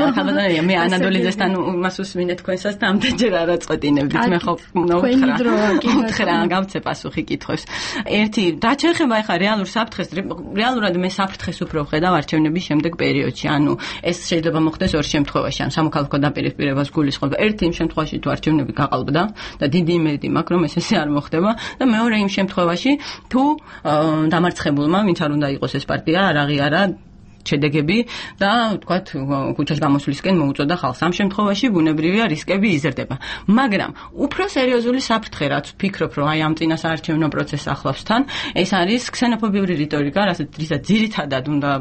მე ანადოლიძესთან მას უსმინე თქვენსაც და ამდენ ჯერ არ აწყვეტინებდით. მე ხო უთხრა გავცე პასუხი კითხვებს. ერთი რა შეიძლება ახლა რეალურ საფრთხეს, რეალურად მე საფრთხეს უფრო ვხედავ არჩევნების შემდეგ პერიოდში. ანუ ეს შეიძლება მოხდეს ორ შემთხვევაში, ან სამოქალაქო დაპირისპირებას გულისხმობ. ერთი იმ შემთხვევაში თუ არჩევნები გაყალბდა და დიდი იმედი მაქვს რომ ეს არ მოხდება და მეორე იმ შემთხვევაში თუ დამარცხებულმა, ვინც არ უნდა იყოს ეს პარტია, არ აღიარა შედეგები და თქვათ ქუჩაში გამოსვლისკენ მოუწოდა ხალხს. ამ შემთხვევაში ბუნებრივია რისკები იზრდება. მაგრამ უფრო სერიოზული საფრთხე, რაც ვფიქრობ, რომ აი ამ წინასაარჩევნო პროცესს ახლავს თან, ეს არის ქსენოფობიური რიტორიკა, რასაც ძირითადად უნდა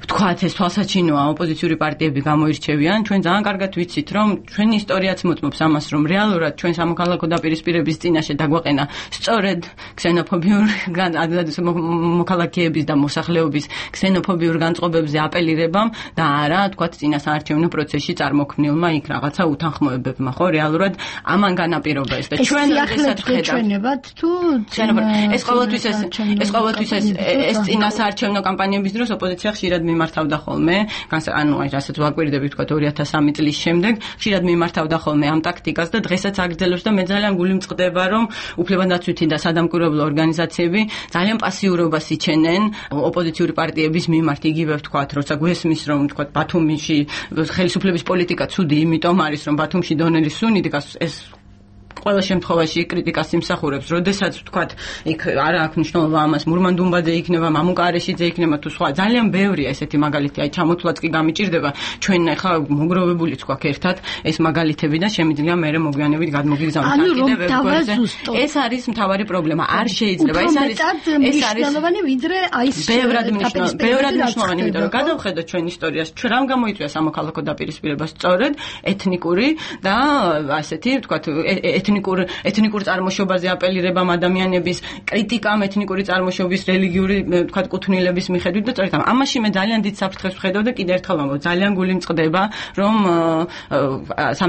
ვთქვათ, ეს თვალსაჩინოა ოპოზიციური პარტიები გამოირჩევიან. ჩვენ ძალიან კარგად ვიცით, რომ ჩვენი ისტორიაც მოწმობს ამას, რომ რეალურად ჩვენ სამოქალაქო დაპირისპირების წინაშე დაგვაყენა სწორედ ქსენოფობიურ მოქალაქეების და მოსახლეობის ქსენოფობიურ განწყობებზე აპელირებამ და არა, ვთქვათ, წინასაარჩევნო პროცესში წარმოქმნილმა იქ რაღაცა უთანხმოებებმა, ხო, რეალურად ამან განაპირობა ეს და ჩვენ როდესაც ხედავთ
თუ
ეს ყოველთვის ეს წინასაარჩევნო კამპანიების დროს ოპოზიცია ხშირად მიმართავდა ხოლმე, ანუ რასაც ვაკვირდები თქვა 2003 წლის შემდეგ, ხშირად მიმართავდა ხოლმე ამ ტაქტიკას და დღესაც აგრძელებს და მე ძალიან გული მწყდება, რომ უფლებადაცვითი და სადამკვირვებლო ორგანიზაციები ძალიან პასიურობას იჩენენ ოპოზიციური პარტიების მიმართ, იგივე ვთქვათ, როცა გვესმის, რომ ვთქვათ, ბათუმში ხელისუფლების პოლიტიკა ცუდი იმიტომ არის, რომ ბათუმში დონელი სუნი დგას, ეს ყველა შემთხვევაში კრიტიკას იმსახურებს, როდესაც ვთქვათ, იქ არა აქვს მნიშვნელობა ამას, მურმან-დუმბაძე იქნება, მამუკა არეშიძე იქნება თუ სხვა, ძალიან ბევრია ესეთი მაგალითი, აი ჩამოთვლაც კი გამიჭირდება, ჩვენ ახლა მოგროვებულიც გვაქვს ერთად ეს მაგალითები და შემიძლია მე მოგვიანებით გადმოგიგზავნოთ კიდევ ვებგვერდზე. ეს არის მთავარი პრობლემა, არ შეიძლება, ეს არის
მნიშვნელოვანი, ვიდრე აი ეს
ბევრად მნიშვნელოვანი, იმიტომ რომ გადავხედოთ ჩვენ ისტორიას, ჩვენ რამ გამოიწვია სამოქალაქო დაპირისპირება, სწორედ ეთნიკური და ასეთი ვთქვათ ეთნიკურ წარმოშობაზე აპელირებამ ადამიანების კრიტიკამ ეთნიკური წარმოშობის რელიგიური ვთქვათ კუთვნილების მიხედვით და სწორედ ამაში მე ძალიან დიდ საფრთხეს ვხედავ და კიდევ ერთხელ ვამბობ, ძალიან გული მწყდება, რომ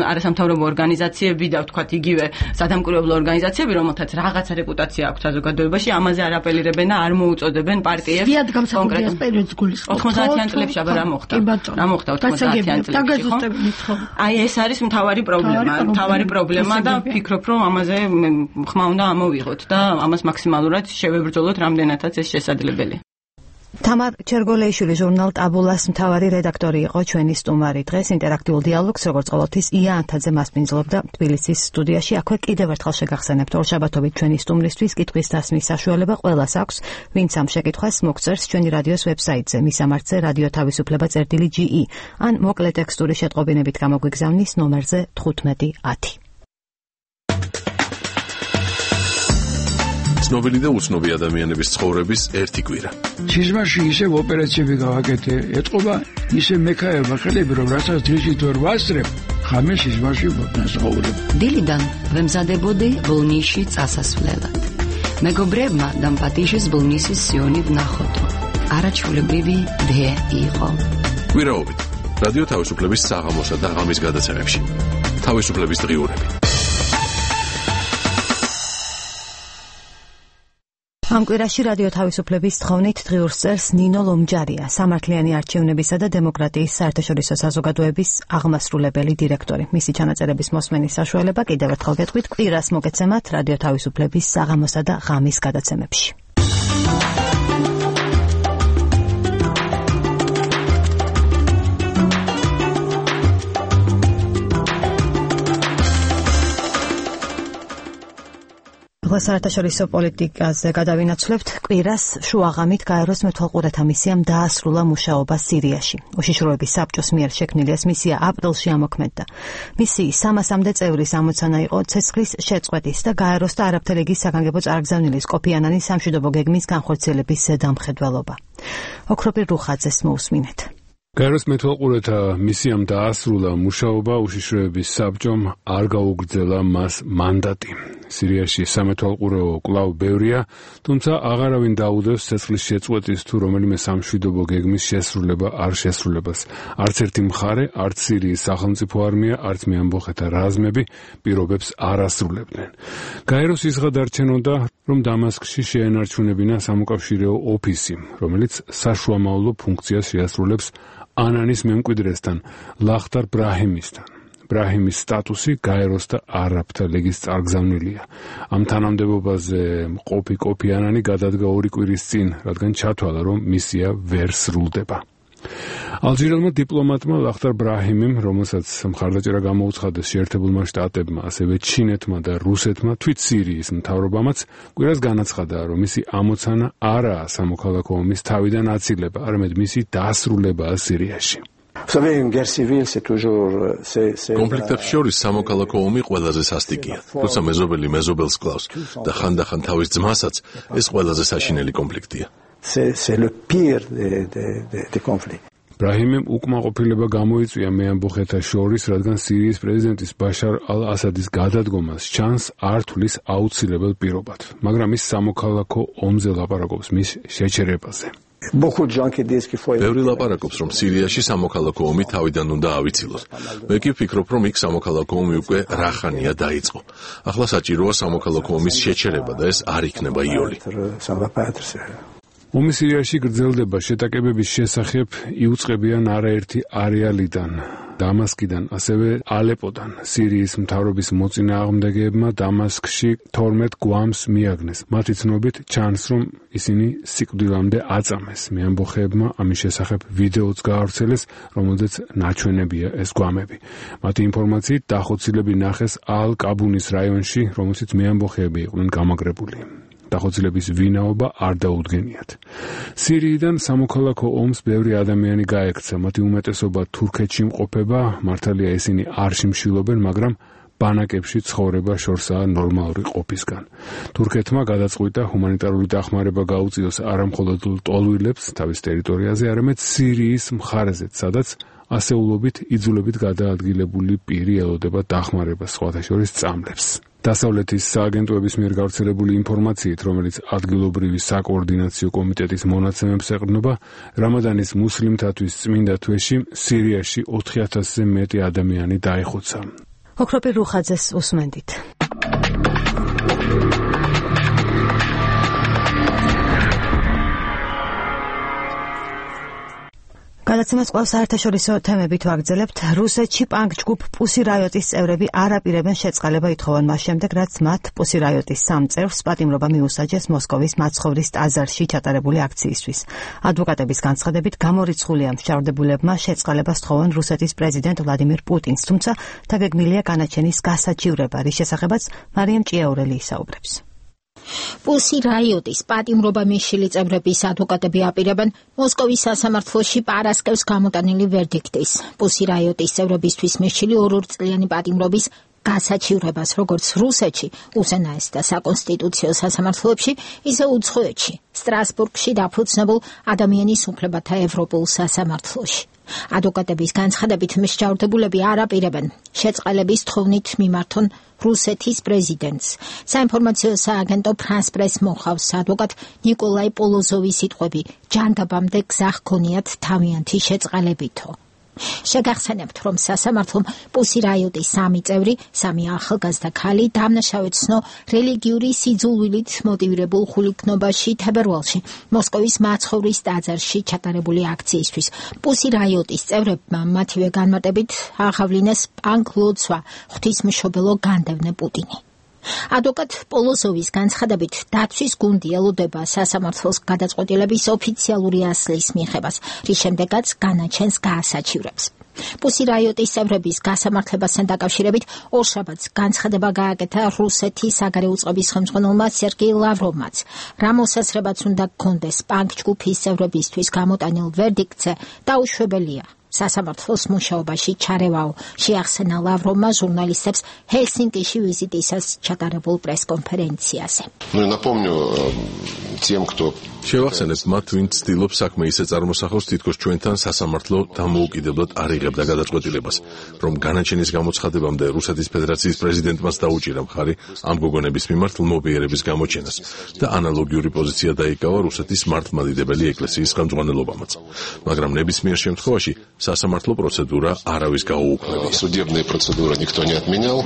არასამთავრობო ორგანიზაციები და ვთქვათ იგივე სადამკვირვებლო ორგანიზაციები, რომელთაც რაღაცა რეპუტაცია აქვს საზოგადოებაში, ამაზე არ აპელირებენ და არ მოუწოდებენ პარტიებს
კონკრეტულ პერიოდს გულისხმობთ.
90-იან წლებში აბა რა მოხდა? 90-იან წლებში, ხო? აი ეს არის მთავარი პრობლემა და ვფიქრობ, რომ ამაზე ხმა უნდა ამოვიღოთ და ამას მაქსიმალურად შევებრძოლოთ, რამდენადაც ეს შესაძლებელი.
თამარ ჩერგოლეიშვილი ჟურნალ ტაბულას მთავარი რედაქტორი იყო ჩვენი სტუმარი. დღეს ინტერაქტიულ დიალოგს როგორც ყოველთვის ია ანთაძე მასპინძლობდა თბილისის სტუდიაში. აქვე კიდევ ერთხელ შეგახსენებთ, ორშაბათობით ჩვენი სტუმრისთვის კითხვის დასმის საშუალება ყველას აქვს, ვინც ამ შეკითხვას მოგწერს ჩვენი რადიოს ვებსაიტზე, მისამართზე რადიო თავისუფლება.ge ან მოკლე ტექსტური შეტყობინებით გამოგვიგზავნის ნომერზე 1510.
ცნობილი და უცნობი ადამიანების ცხოვრების ერთი კვირა.
სიზმარში ისევ ოპერაციები გავაკეთე, ეთყობა ისე მექაება ხელები, რომ რასაც დღისით ვერ ვასწრებ, ხამე სიზმარში ვასწავლებ.
დილიდან ვემზადებოდი ბოლნისში წასასვლელად. მეგობრებმა დამპატიშეს ბოლნისის სიონი ვნახოთ. არაჩვეულებრივი დღე იყო.
კვირაობით რადიო თავისუფლების საღამოსა და ღამის გადაცემებში. თავისუფლების დღიურები.
ამ კვირაში რადიო თავისუფლების თხოვნით დღიურს წერს ნინო ლომჯარია, სამართლიანი არჩევნებისა და დემოკრატიის საერთაშორისო საზოგადოების აღმასრულებელი დირექტორი. მისი ჩანაწერების მოსმენის საშუალება კიდევ ერთხელ გეტყვით კვირას მოგეცემათ რადიო თავისუფლების საღამოსა და ღამის გადაცემებში. საერთაშორისო პოლიტიკაზე გადავინაცვლებთ. კვირას შუაღამით გაეროს მეთვალყურეთა მისიამ დაასრულა მუშაობა სირიაში. უშიშროების საბჭოს მიერ შექმნილი ეს მისია აპრილში ამოქმედდა. მისიის 300-მდე წევრის ამოცანა იყო ცეცხლის შეწყვეტის და გაეროს და არაბთა ლიგის საგანგებო წარგზავნილის კოფი ანანის სამშვიდობო გეგმის განხორციელების ზედამხედველობა. ოქროპირ რუხაძეს მოусმინეთ.
გაეროს მეთვალყურეთა მისიამ დაასრულა მუშაობა, უშიშროების საბჭომ არ გაუგრძელა მას მანდატი. სირიაში სამეთვალყურეო კვლავ ბევრია, თუმცა აღარავინ დაუდევს ცეცხლის შეწყვეტის თუ რომელიმე სამშვიდობო გეგმის შესრულება არ შესრულებას. არც ერთი მხარე, არც სირიის სახელმწიფო არმია, არც მეამბოხეთა რაზმები პირობებს არ ასრულებდნენ. გაეროს ისღა დარჩენოდა, რომ დამასკში შეენარჩუნებინა სამოკავშირეო ოფისი, რომელიც საშუამავლო ფუნქციას შეასრულებს ანანის მემკვიდრესთან, ლახტარ ბრაჰიმისთან. ბრაჰიმის სტატუსი გაეროს და არაბთა ლიგის წარგზავნილია. ამ თანამდებობაზე მყოფი კოფი ანანი გადადგა 2 კვირის წინ, რადგან ჩათვალა, რომ მისია ვერ სრულდება. ალჟირელმა დიპლომატმა ლახტარ ბრაჰიმიმ, რომელსაც მხარდაჭერა გამოუცხადეს შეერთებულმა შტატებმა, ასევე ჩინეთმა და რუსეთმა, თვით სირიის მთავრობამაც კვირას განაცხადა, რომ მისი ამოცანა არაა სამოქალაქო ომის თავიდან აცილება, არამედ მისი დასრულებაა სირიაში.
კონფლიქტებს შორის სამოქალაქო ომი ყველაზე სასტიკია, როცა მეზობელი მეზობელს კლავს და ხანდახან თავის ძმასაც, ეს ყველაზე საშინელი კონფლიქტია.
c'est le pire des conflits.
ბრაჰიმიმ უკმაყოფილება გამოიწვია მეამბოხეთა შორის, რადგან სირიის პრეზიდენტის ბაშარ ალ-ასადის გადადგომას ჩანს არ თulis აუცილებელ პირობად, მაგრამ ის სამოქალაქო ომზე ლაპარაკობს მის შეჩერებაზე.
ბევრი ლაპარაკობს, რომ სირიაში სამოქალაქო ომი თავიდან უნდა ავიცილოს. მე კი ვფიქრობ, რომ იქ სამოქალაქო ომი უკვე რახანია დაიწყო. ახლა საჭიროა სამოქალაქო ომის შეჩერება და ეს არ იქნება იოლი.
ომი სირიაში გრძელდება, შეტაკებების შესახებ იუწყებიან არაერთი არეალიდან, დამასკიდან, ასევე ალეპოდან. სირიის მთავრობის მოწინააღმდეგეებმა დამასკში 12 გვამს მიაგნეს. მათი ცნობით ჩანს, რომ ისინი სიკვდილამდე აწამეს. მეამბოხეებმა ამის შესახებ ვიდეოც გაავრცელეს, რომელზეც ნაჩვენებია ეს გვამები. მათი ინფორმაციით დახოცილები ნახეს ალ-კაბუნის რაიონში, რომელშიც მეამბოხეები იყვნენ გამაგრებული. დახოცილების ვინაობა არ დაუდგენიათ. სირიიდან სამოქალაქო ომს ბევრი ადამიანი გაექცა, მათი უმეტესობა თურქეთში მყოფება, მართალია ისინი არ შიმშილობენ, მაგრამ ბანაკებში ცხოვრება შორსაა ნორმალური ყოფისგან. თურქეთმა გადაწყვიტა ჰუმანიტარული დახმარება გაუწიოს არამხოლოდ ტოლვილებს თავის ტერიტორიაზე, არამედ სირიის მხარეზეც, სადაც ასეულობით იძულებით გადაადგილებული პირი ელოდება დახმარებას, სხვათა შორის წამლებს. დასავლეთის სააგენტოების მიერ გავრცელებული ინფორმაციით, რომელიც ადგილობრივი საკოორდინაციო კომიტეტის მონაცემებს ეყრდნობა, რამადანის მუსლიმთათვის წმინდა თვეში სირიაში 4000-ზე მეტი ადამიანი დაიხოცა.
ოქროპირ რუხაძეს უსმენდით. გადაცემას კვლავ საერთაშორისო თემებით ვაგრძელებთ. რუსეთში პანკ ჯგუფ პუსი რაიოტის წევრები არ აპირებენ შეწყალება ითხოვან მას შემდეგ, რაც მათ პუსი რაიოტის 3 წევრს პატიმრობა მიუსაჯეს მოსკოვის მაცხოვრის ტაძარში ჩატარებული აქციისთვის. ადვოკატების განცხადებით გამორიცხულია მსჯავრდებულებმა შეწყალებას თხოვან რუსეთის პრეზიდენტ ვლადიმირ პუტინს, თუმცა დაგეგმილია განაჩენის გასაჩივრება, რის შესახებაც მარიამ ჭიაურელი ისაუბრებს.
პუსი რაიოტის პატიმრობა მიშილი წევრების ადვოკატები აპირებენ მოსკოვის სასამართლოში პარასკევს გამოტანილი ვერდიქტის. პუსი რაიოტის წევრებისთვის მიშილი 2 წლიანი პატიმრობის გასაჩივრებას, როგორც რუსეთში, უზენაეს და საკონსტიტუციო სასამართლოებში, ისე უცხოეთში, სტრასბურგში დაფუძნებულ ადამიანის უფლებათა ევროპულ სასამართლოში. ადვოკატების განცხადებით მსჯავრდებულები არ აპირებენ შეწყალების თხოვნით მიმართონ რუსეთის პრეზიდენტს. საინფორმაციო სააგენტო ფრანს პრეს მოხავს ადვოკატ ნიკოლაი პოლოზოვის სიტყვები, ჯანდაბამდე გზა ჰქონიათ თავიანთი შეწყალებითო. შეგახსენებთ, რომ სასამართლომ პუსი რაიოტის 3 წევრი, 3 ახალგაზრდა ქალი დამნაშავედ ცნო რელიგიური სიძულვილით მოტივირებულ ხულიკნობაში თებერვალში მოსკოვის მაცხოვრის ტაძარში ჩატარებული აქციისთვის. პუსი რაიოტის წევრებმა მათივე განმარტებით აღავლინეს პანკ ლოცვა, ღვთისმშობელო განდევნე პუტინი. ადვოკატ პოლოზოვის განცხადებით, დაცვის გუნდი ელოდება სასამართლოს გადაწყვეტილების ოფიციალური ასლის მიღებას, რის შემდეგაც განაჩენს გაასაჩივრებს. პუსი რაიოტის წევრების გასამართლებასთან დაკავშირებით ორშაბათს განცხადება გააკეთა რუსეთის საგარეო წყობის ხელმძღვანელმა სერგეი ლავროვმაც. რა მოსაზრებაც უნდა გქონდეს პანკ ჯგუფის წევრებისთვის გამოტანილ ვერდიქტზე, დაუშვებელია. სასამართლოს მუშაობაში ჩარევაო, შეახსენა ლავროვმა ჟურნალისტებს ჰელსინკიში ვიზიტისას ჩატარებულ პრესკონფერენციაზე.
შევახსენებთ მათ, ვინც ცდილობს საქმე ისე წარმოსახოს, თითქოს ჩვენთან სასამართლო დამოუკიდებლად არ იღებდა გადაწყვეტილებას, რომ განაჩენის გამოცხადებამდე რუსეთის ფედერაციის პრეზიდენტმაც დაუჭირა მხარი ამ გოგონების მიმართ ლმობიერების გამოჩენას და ანალოგიური პოზიცია დაიკავა რუსეთის მართლმადიდებელი ეკლესიის ხელმძღვანელობამაც. მაგრამ ნებისმიერ შემთხვევაში სასამართლო პროცედურა არავის გაუუქმებია.
Судебная процедура никто не отменял.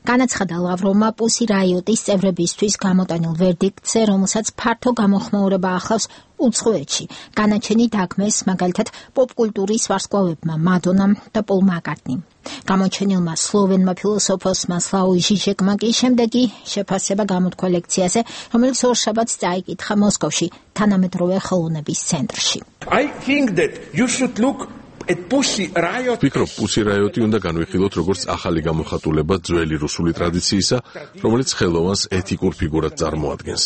განაცხადა ლავროვმა პუსი რაიოტის წევრებისთვის გამოტანილ ვერდიქტზე, რომელსაც ფართო გამოხმაურება ახლავს უცხოეთში. განაჩენი დაგმეს მაგალითად პოპკულტურის ვარსკვლავებმა მადონამ და პოლ მაკარტნიმ. გამოჩენილმა სლოვენმა ფილოსოფოსმა სლავoj ჟიჟეკმა კი შემდეგი შეფასება გამოთქვა ლექციაზე, რომელიც ორშაბათს წაიკითხა მოსკოვში, თანამედროვე ხელოვნების ცენტრში.
I think that you should look
ვფიქრობ, პუსი რაიოტი უნდა განვიხილოთ როგორც ახალი გამოხატულება ძველი რუსული ტრადიციისა, რომელიც ხელოვანს ეთიკურ ფიგურად წარმოადგენს.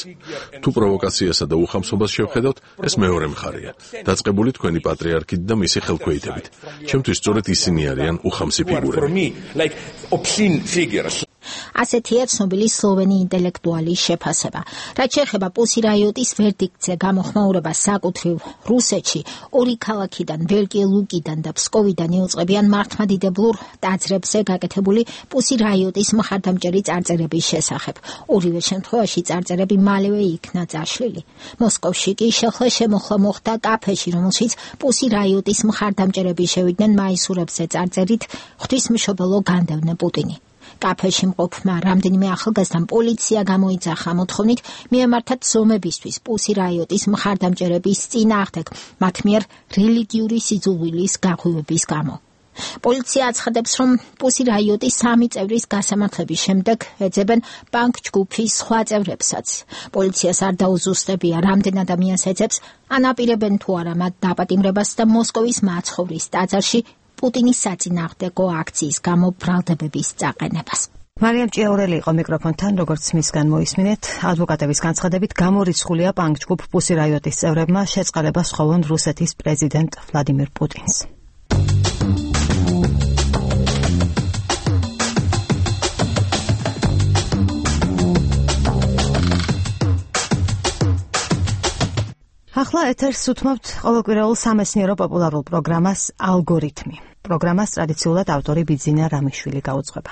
თუ პროვოკაციასა და უხამსობას შევხედავთ, ეს მეორე მხარეა, დაწყებული თქვენი პატრიარქით და მისი ხელქვეითებით. ჩემთვის სწორედ ისინი არიან უხამსი ფიგურები.
ასეთია ცნობილი სლოვენი ინტელექტუალის შეფასება. რაც შეეხება პუსი რაიოტის ვერდიქტზე გამოხმაურებას საკუთრივ რუსეთში, ორი ქალაქიდან, ველკი ლუკიდან და ფსკოვიდან იუწყებიან მართლმადიდებლურ ტაძრებზე გაკეთებული პუსი რაიოტის მხარდამჭერი წარწერების შესახებ. ორივე შემთხვევაში წარწერები მალევე იქნა წაშლილი. მოსკოვში კი შეხლა-შემოხლა მოხდა კაფეში, რომელშიც პუსი რაიოტის მხარდამჭერები შევიდნენ მაისურებზე წარწერით ღვთისმშობელო განდევნე პუტინი. კაფეში მყოფმა რამდენიმე ახალგაზრდამ პოლიცია გამოიძახა მოთხოვნით მიემართათ ზომებისთვის პუსი რაიოტის მხარდამჭერების წინააღმდეგ მათ მიერ რელიგიური სიძულვილის გაღვივების გამო. პოლიცია აცხადებს, რომ პუსი რაიოტის 3 წევრის გასამართლების შემდეგ ეძებენ ბანკ ჯგუფის სხვა წევრებსაც. პოლიციას არ დაუზუსტებია, რამდენ ადამიანს ეძებს, ანაპირებენ თუ არა მათ დაპატიმრებას და მოსკოვის მაცხოვრის ტაძარში პუტინის საწინააღმდეგო აქციის გამო ბრალდებების წაყენებას.
მარიამ ჭიაურელი იყო მიკროფონთან, როგორც მისგან მოისმინეთ, ადვოკატების განცხადებით გამორიცხულია ბანკ ჯგუფ პუსი რაიოტის წევრებმა შეწყალებას სთხოვონ რუსეთის პრეზიდენტ ვლადიმირ პუტინს. ახლა ეთერს უთმობთ ყოველკვირეულ სამეცნიერო პოპულარულ პროგრამას ალგორითმი. პროგრამას ტრადიციულად ავტორი ბიძინა რამიშვილი გაუძღვება.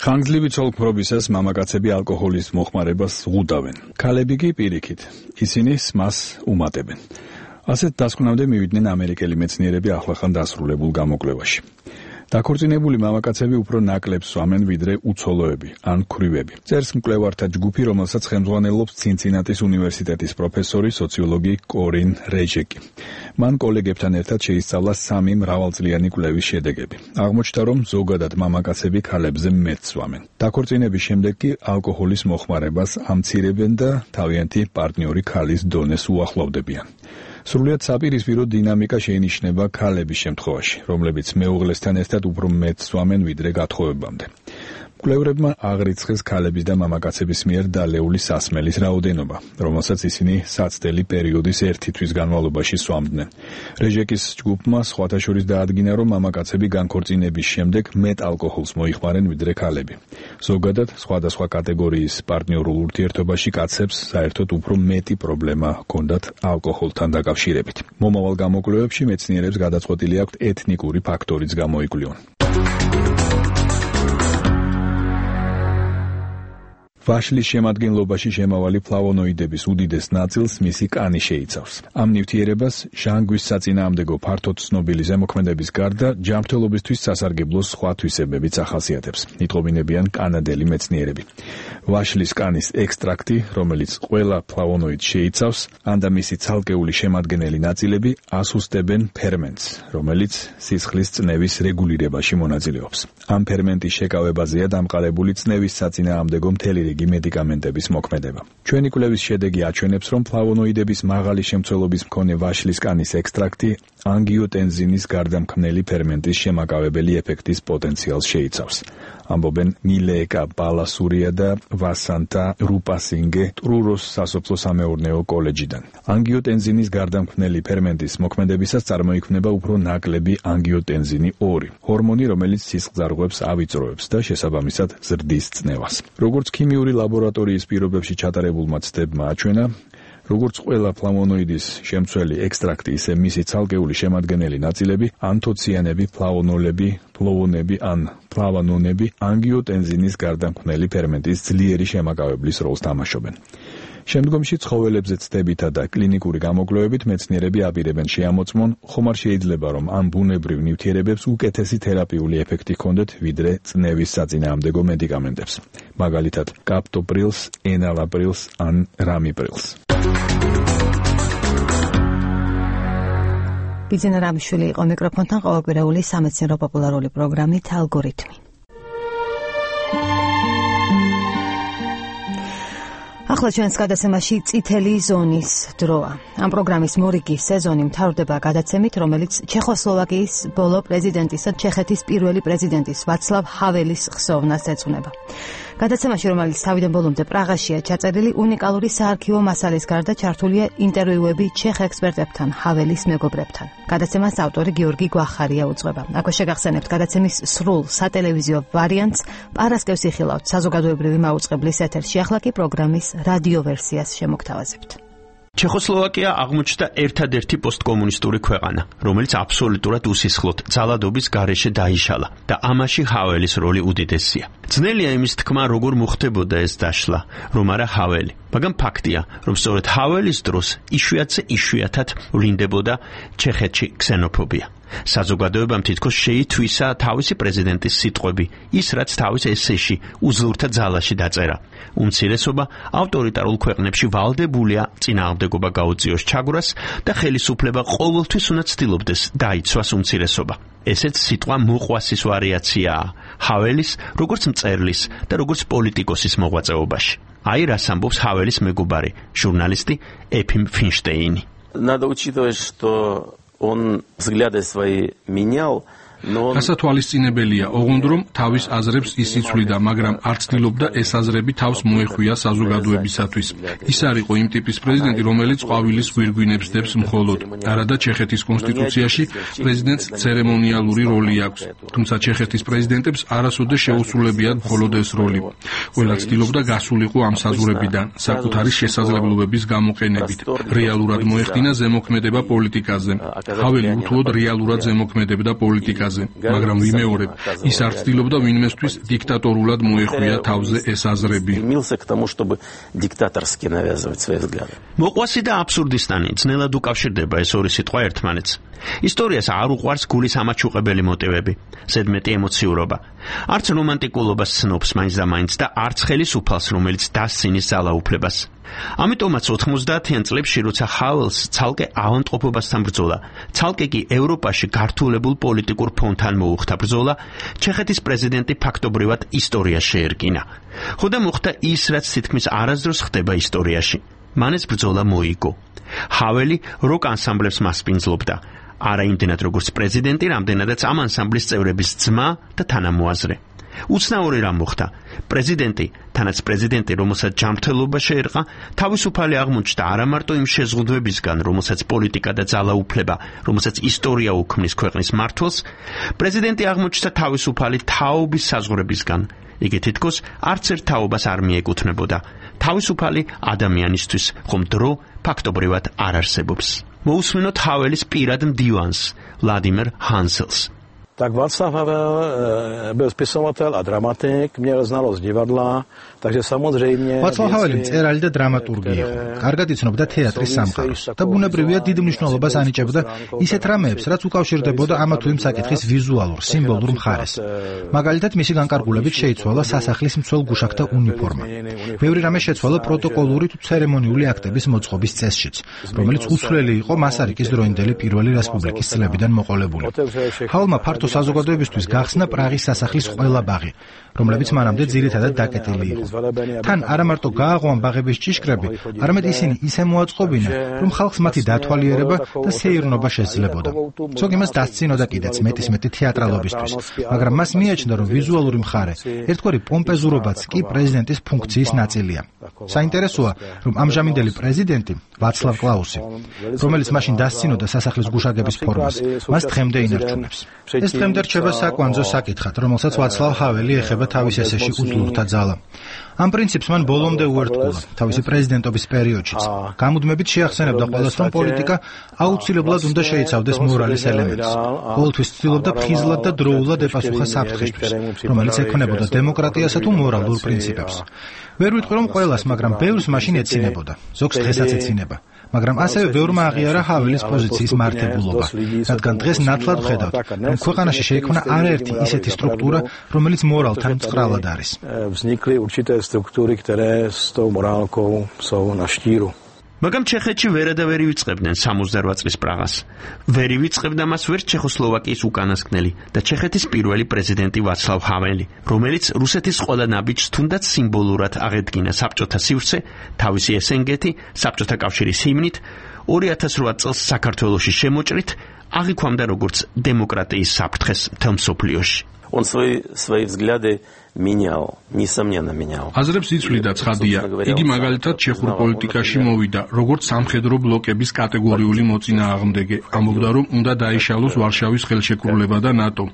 ხანგრძლივი ცოლქმრობისას მამაკაცები ალკოჰოლის მოხმარებას ზღუდავენ. ქალები კი პირიქით. ისინი მას უმატებენ. ასეთ დასკვნამდე მივიდნენ ამერიკელი მეცნიერები ახლახან დასრულებულ გამოკვლევაში. დაქორწინებული მამაკაცები უფრო ნაკლებს სვამენ ვიდრე უცოლოები ან ქვრივები. წერს მკვლევართა ჯგუფი, რომელსაც ხელმძღვანელობს ცინცინატის უნივერსიტეტის პროფესორი სოციოლოგი კორინ რეჟეკი. მან კოლეგებთან ერთად შეისწავლა 3 მრავალწლიანი კვლევის შედეგები. აღმოჩნდა, რომ ზოგადად მამაკაცები ქალებზე მეტ სვამენ. დაქორწინების შემდეგ კი ალკოჰოლის მოხმარებას ამცირებენ და თავიანთი პარტნიორი ქალის დონეს უახლოვდებიან. სრულიად საპირისპირო დინამიკა შეინიშნება ქალების შემთხვევაში, რომლებიც მეუღლესთან ერთად უფრო მეტ სვამენ ვიდრე გათხოვებამდე. მკვლევრებმა აღრიცხეს ქალების და მამაკაცების მიერ დალეული სასმელის რაოდენობა, რომელსაც ისინი საცდელი პერიოდის 1 თვის განმავლობაში სვამდნენ. რეჟეკის ჯგუფმა სხვათა შორის დაადგინა, რომ მამაკაცები განქორწინების შემდეგ მეტ ალკოჰოლს მოიხმარენ ვიდრე ქალები. ზოგადად, სხვადასხვა კატეგორიის პარტნიორულ ურთიერთობაში კაცებს საერთოდ უფრო მეტი პრობლემა ჰქონდათ ალკოჰოლთან დაკავშირებით. მომავალ გამოკვლევებში მეცნიერებს გადაწყვეტილი აქვთ ეთნიკური ფაქტორიც გამოიკვლიონ. ვაშლის შემადგენლობაში შემავალი ფლავონოიდების უდიდეს ნაწილს მისი კანი შეიცავს. ამ ნივთიერებას ჟანგვის საწინააღმდეგო ფართოდ ცნობილი ზემოქმედების გარდა ჯანმრთელობისთვის სასარგებლო სხვა თვისებებიც ახასიათებს, იტყობინებიან კანადელი მეცნიერები. ვაშლის კანის ექსტრაქტი, რომელიც ყველა ფლავონოიდს შეიცავს, ან და მისი ცალკეული შემადგენელი ნაწილები ასუსტებენ ფერმენტს, რომელიც სისხლის წნევის რეგულირებაში მონაწილეობს. ამ ფერმენტის შეკავებაზეა დამყარებული წნევის საწინააღმდეგო მთელი მედიკამენტების მოქმედება. ჩვენი კვლევის შედეგი აჩვენებს, რომ ფლავონოიდების მაღალი შემცველობის მქონე ვაშლის კანის ექსტრაქტი ანგიოტენზინის გარდამქმნელი ფერმენტის შემაკავებელი ეფექტის პოტენციალს შეიცავს. ამბობენ მილეეკა ბალასურია და ვასანტა რუპასინგე ტრუროს სასოფლო-სამეურნეო კოლეჯიდან. ანგიოტენზინის გარდამქმნელი ფერმენტის მოქმედებისას წარმოიქმნება უფრო ნაკლები ანგიოტენზინი 2, ჰორმონი, რომელიც სისხლძარღვებს ავიწროებს და შესაბამისად ზრდის წნევას. როგორც ქიმიური ლაბორატორიის პირობებში ჩატარებულმა ცდებმა აჩვენა, როგორც ყველა ფლავონოიდის შემცველი ექსტრაქტი, ისე მისი ცალკეული შემადგენელი ნაწილები, ანთოციანები, ფლავონოლები, ფლოვონები ან ფლავანონები ანგიოტენზინის გარდამქმნელი ფერმენტის ძლიერი შემაკავებლის როლს თამაშობენ. შემდგომში ცხოველებზე ცდებითა და კლინიკური გამოკვლევებით მეცნიერები აპირებენ შეამოწმონ, ხომ არ შეიძლება, რომ ამ ბუნებრივ ნივთიერებებს უკეთესი თერაპიული ეფექტი ჰქონდეთ ვიდრე წნევის საწინააღმდეგო მედიკამენტებს, მაგალითად კაპტოპრილს, ენალაპრილს ან რამიპრილს.
ბიძინა რამიშვილი იყო მიკროფონთან, ყოველკვირეული სამეცნიერო პოპულარული პროგრამით ალგორითმი. ახლა ჩვენს გადაცემაში წითელი ზონის დროა. ამ პროგრამის მორიგი სეზონი მთავრდება გადაცემით, რომელიც ჩეხოსლოვაკიის ბოლო პრეზიდენტისა, ჩეხეთის პირველი პრეზიდენტის ვაცლავ ჰაველის ხსოვნას ეძღვნება. გადაცემაში, რომელიც თავიდან ბოლომდე პრაღაშია ჩაწერილი, უნიკალური საარქივო მასალის გარდა ჩართულია ინტერვიუები ჩეხ ექსპერტებთან, ჰაველის მეგობრებთან. გადაცემას ავტორი გიორგი გვახარია უძღვება. აქვე შეგახსენებთ გადაცემის სრულ სატელევიზიო ვარიანტს პარასკევს იხილავთ საზოგადოებრივი მაუწყებლის ეთერში. ახლა კი პროგრამის რადიო ვერსიას შემოგთავაზებთ.
ჩეხოსლოვაკია აღმოჩნდა ერთადერთი პოსტკომუნისტური ქვეყანა, რომელიც აბსოლუტურად უსისხლოდ ძალადობის გარეშე დაიშალა და ამაში ჰაველის როლი უდიდესია. ძნელია იმის თქმა, როგორ მოხდებოდა ეს დაშლა, რომ არა ჰაველი. მაგრამ ფაქტია, რომ სწორედ ჰაველის დროს იშვიათად ვლინდებოდა ჩეხეთში ქსენოფობია. საზოგადოებამ თითქოს შეითვისა თავისი პრეზიდენტის სიტყვები, ის რაც თავის ესეში უძლურთა ძალაში დაწერა. უმცირესობა ავტორიტარულ ქვეყნებში ვალდებულია წინააღმდეგობა გაუწიოს ჩაგვრას და ხელისუფლება ყოველთვის უნდა ცდილობდეს დაიცვას უმცირესობა. ესეც სიტყვა მოყვასის ვარიაციაა ჰაველის, როგორც მწერლის და როგორც პოლიტიკოსის მოღვაწეობაში. აი რას ამბობს ჰაველის მეგობარი, ჟურნალისტი ეფიმ ფინშტეინი.
Надо учитывать, что он взгляды свои менял.
გასათვალისწინებელია, ოღონდ რომ თავის აზრებს ის იცვლიდა, მაგრამ არ ცდილობდა ეს აზრები თავს მოეხვია საზოგადოებისათვის. ის არ იყო იმ ტიპის პრეზიდენტი, რომელიც ყვავილის გვირგვინებს დებს მხოლოდ. არადა ჩეხეთის კონსტიტუციაში პრეზიდენტს ცერემონიალური როლი აქვს. თუმცა ჩეხეთის პრეზიდენტებს არასოდეს შეუსრულებიათ მხოლოდ ეს როლი. ყველა ცდილობდა გასულიყო ამ საზღვრებიდან, საკუთარი შესაძლებლობების გამოყენებით. რეალურად მოეხდინა ზემოქმედება პოლიტიკაზე. ჰაველი უთუოდ რეალურად ზემოქმედებდა პოლიტიკაზე. მაგრამ ვიმეორებ, ის არ ცდილობდა ვინმესთვის დიქტატორულად მოეხვია თავზე ეს აზრები.
მოყვასი და აბსურდისტანი ძნელად უკავშირდება ეს ორი სიტყვა ერთმანეთს. ისტორიას არ უყვარს გულის ამაჩუყებელი მოტივები, ზედმეტი ემოციურობა. არც რომანტიკულობას ცნობს მაინც და მაინც და არც ხელისუფალს, რომელიც დასცინის ძალაუფლებას. ამიტომაც 90-იან წლებში, როცა ჰაველს ცალკე ავადმყოფობასთან ბრძოლა, ცალკე კი ევროპაში გართულებულ პოლიტიკურ ფონთან მოუხდა ბრძოლა, ჩეხეთის პრეზიდენტი ფაქტობრივად ისტორიას შეერკინა. ხოდა მოხდა ის, რაც თითქმის არასდროს ხდება ისტორიაში. მან ეს ბრძოლა მოიგო. ჰაველი როკ ანსამბლებს მასპინძლობდა. არა იმდენად როგორც პრეზიდენტი, რამდენადაც ამ ანსამბლის წევრების ძმა და თანამოაზრე. უცნაური რამ მოხდა. პრეზიდენტი, თანაც პრეზიდენტი, რომელსაც ჯანმრთელობა შეერყა, თავისუფალი აღმოჩნდა არა მარტო იმ შეზღუდვებისგან, რომელსაც პოლიტიკა და ძალაუფლება, რომელსაც ისტორია უქმნის ქვეყნის მმართველს, პრეზიდენტი აღმოჩნდა თავისუფალი თაობის საზღვრებისგან. იგი თითქოს არც ერთ თაობას არ მიეკუთვნებოდა. თავისუფალი ადამიანისთვის, ხომ დრო ფაქტობრივად არ არსებობს. მოусმინოთ ჰაველის პირად მდივანს, ვლადიმერ ჰანსელს.
Tak Václav Havel byl spisovatel a dramatik, měl znalost divadla, takže samozřejmě
Václav Havel მწერალი და დრამატურგი იყო. კარგად იცნობდა თეატრის სამყაროს და ბუნებრივია დიდ მნიშვნელობას ანიჭებდა ისეთ რამეებს, რაც უკავშირდებოდა ამა თუ იმ საკითხის ვიზუალურ, სიმბოლურ მხარეს. მაგალითად, მისი განკარგულებით შეიცვალა სასახლის მცველ გუშაკთა უნიფორმა. ბევრი რამე შეცვალა პროტოკოლური თუ ცერემონიული აქტების მოწყობის წესშიც, რომელიც უცვლელი იყო მასარიკის დროინდელი პირველი რესპუბლიკის წლებიდან მოყოლებული. ჰაველმა ფართო საზოგადოებისთვის გახსნა პრაღის სასახლის ყველა ბაღი, რომლებიც მანამდე ძირითადად დაკეტილი იყო. თან არა მარტო გააღო ამ ბაღების ჭიშკრები, არამედ ისინი ისე მოაწყობინა, რომ ხალხს მათი დათვალიერება და სეირნობა შესძლებოდა. ზოგი მას დასცინოდა კიდეც მეტი თეატრალობისთვის, მაგრამ მას მიაჩნდა, რომ ვიზუალური მხარე, ერთგვარი პომპეზურობაც კი პრეზიდენტის ფუნქციის ნაწილია. საინტერესოა, რომ ამჟამინდელი პრეზიდენტი ვაცლავ კლაუსი, რომელიც მაშინ დასცინოდა სასახლის გუშაგების ფორმას, მას დღემდე ინარჩუნებს. ეს დღემდე რჩება საკვანძო საკითხად, რომელსაც ვაცლავ ჰაველი ეხება თავის ესეში უძლურთა ძალა. ამ პრინციპს მან ბოლომდე უერთგულა თავისი პრეზიდენტობის პერიოდშიც. გამუდმებით შეახსენებდა ყველას, რომ პოლიტიკა აუცილებლად უნდა შეიცავდეს მორალის ელემენტს. ყოველთვის ცდილობდა ფხიზლად და დროულად ეპასუხა საფრთხეშთვის, რომელიც ექნებოდა დემოკრატიასა თუ მორალურ პრინციპებს. ვერ ვიტყვი, რომ ყველას, მაგრამ ბევრს მაშინ ეცინებოდა. ზოგს დღესაც ეცინება. მაგრამ ასევე ბევრმა აღიარა ჰაველის პოზიციის მართებულობა, რადგან დღეს ნათლად ვხედავთ, რომ ქვეყანაში შეიქმნა არაერთი ისეთი სტრუქტურა, რომელიც მორალთან მწყრალად არის.
მაგრამ ჩეხეთში ვერადავერ ივიწყებდნენ 68 წლის პრაღას. ვერ ივიწყებდა მას ვერ ჩეხოსლოვაკიის უკანასკნელი და ჩეხეთის პირველი პრეზიდენტი ვაცლავ ჰაველი, რომელიც რუსეთის ყველა ნაბიჯს თუნდაც სიმბოლურად აღედგინა საბჭოთა სივრცე, თავისი ესენგეთი, საბჭოთა კავშირის ჰიმნით, 2008 წელს საქართველოში შემოჭრით, აღიქვამდა როგორც დემოკრატიის საფრთხეს მთელ მსოფლიოში.
Он свои взгляды менял, несомненно менял.
აზრებს იცვლიდა ცხადია. იგი მაგალითად ჩეხურ პოლიტიკაში მოვიდა, როგორც სამხედრო ბლოკების კატეგორიული მოწინააღმდეგე. ამბობდა, რომ უნდა დაიშალოს ვარშავის ხელშეკრულება და ნატო.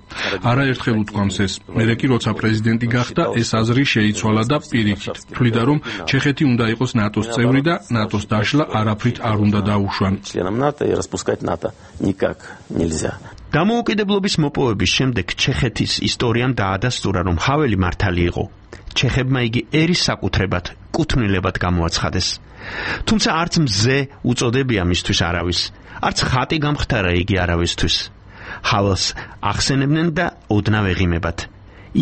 არაერთხელ უთქვამს ეს. მერე კი როცა პრეზიდენტი გახდა, ეს აზრი შეიცვალა და პირიქით. თვლიდა, რომ ჩეხეთი უნდა იყოს ნატოს წევრი და ნატოს დაშლა არაფრით არ უნდა დაუშვან.
Членом НАТО и распускать НАТО никак нельзя.
დამოუკიდებლობის მოპოვების შემდეგ ჩეხეთის ისტორიამ დაადასტურა, რომ ჰაველი მართალი იყო. ჩეხებმა იგი ერის საკუთრებად, კუთვნილებად გამოაცხადეს. თუმცა არც მზე უწოდებია მისთვის არავის, არც ხატი გამختარა იგი არავისთვის. ჰაველს ახსენებდნენ და ოდნავ ეღიმებათ.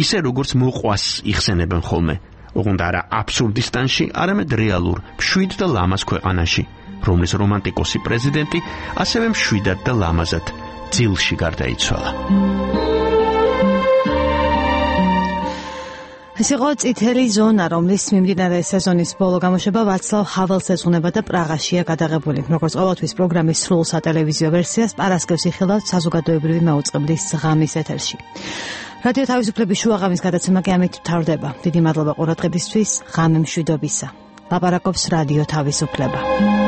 ისე როგორც მოყვას იხსენებენ ხოლმე. ოღონდ არა აბსურდისტანში, არამედ რეალურ, მშვიდ და ლამაზ ქვეყანაში, რომლის რომანტიკოსი პრეზიდენტი ასევე მშვიდად და ლამაზად ძილში გარდაიცვალა.
ეს იყო წითელი ზონა, რომლის მიმდინარე სეზონის ბოლო გამოშვება ვაცლავ ჰაველს ეძღვნება და პრაღაშია გადაღებული. როგორც ყოველთვის პროგრამის სრულ სატელევიზიო ვერსიას პარასკევს იხილავთ საზოგადოებრივი მაუწყებლის ღამის ეთერში. რადიო თავისუფლების შუაღამის გადაცემა კი ამით მთავრდება. დიდი მადლობა ყურადღებისთვის, ღამე მშვიდობისა. ლაპარაკობს რადიო თავისუფლება.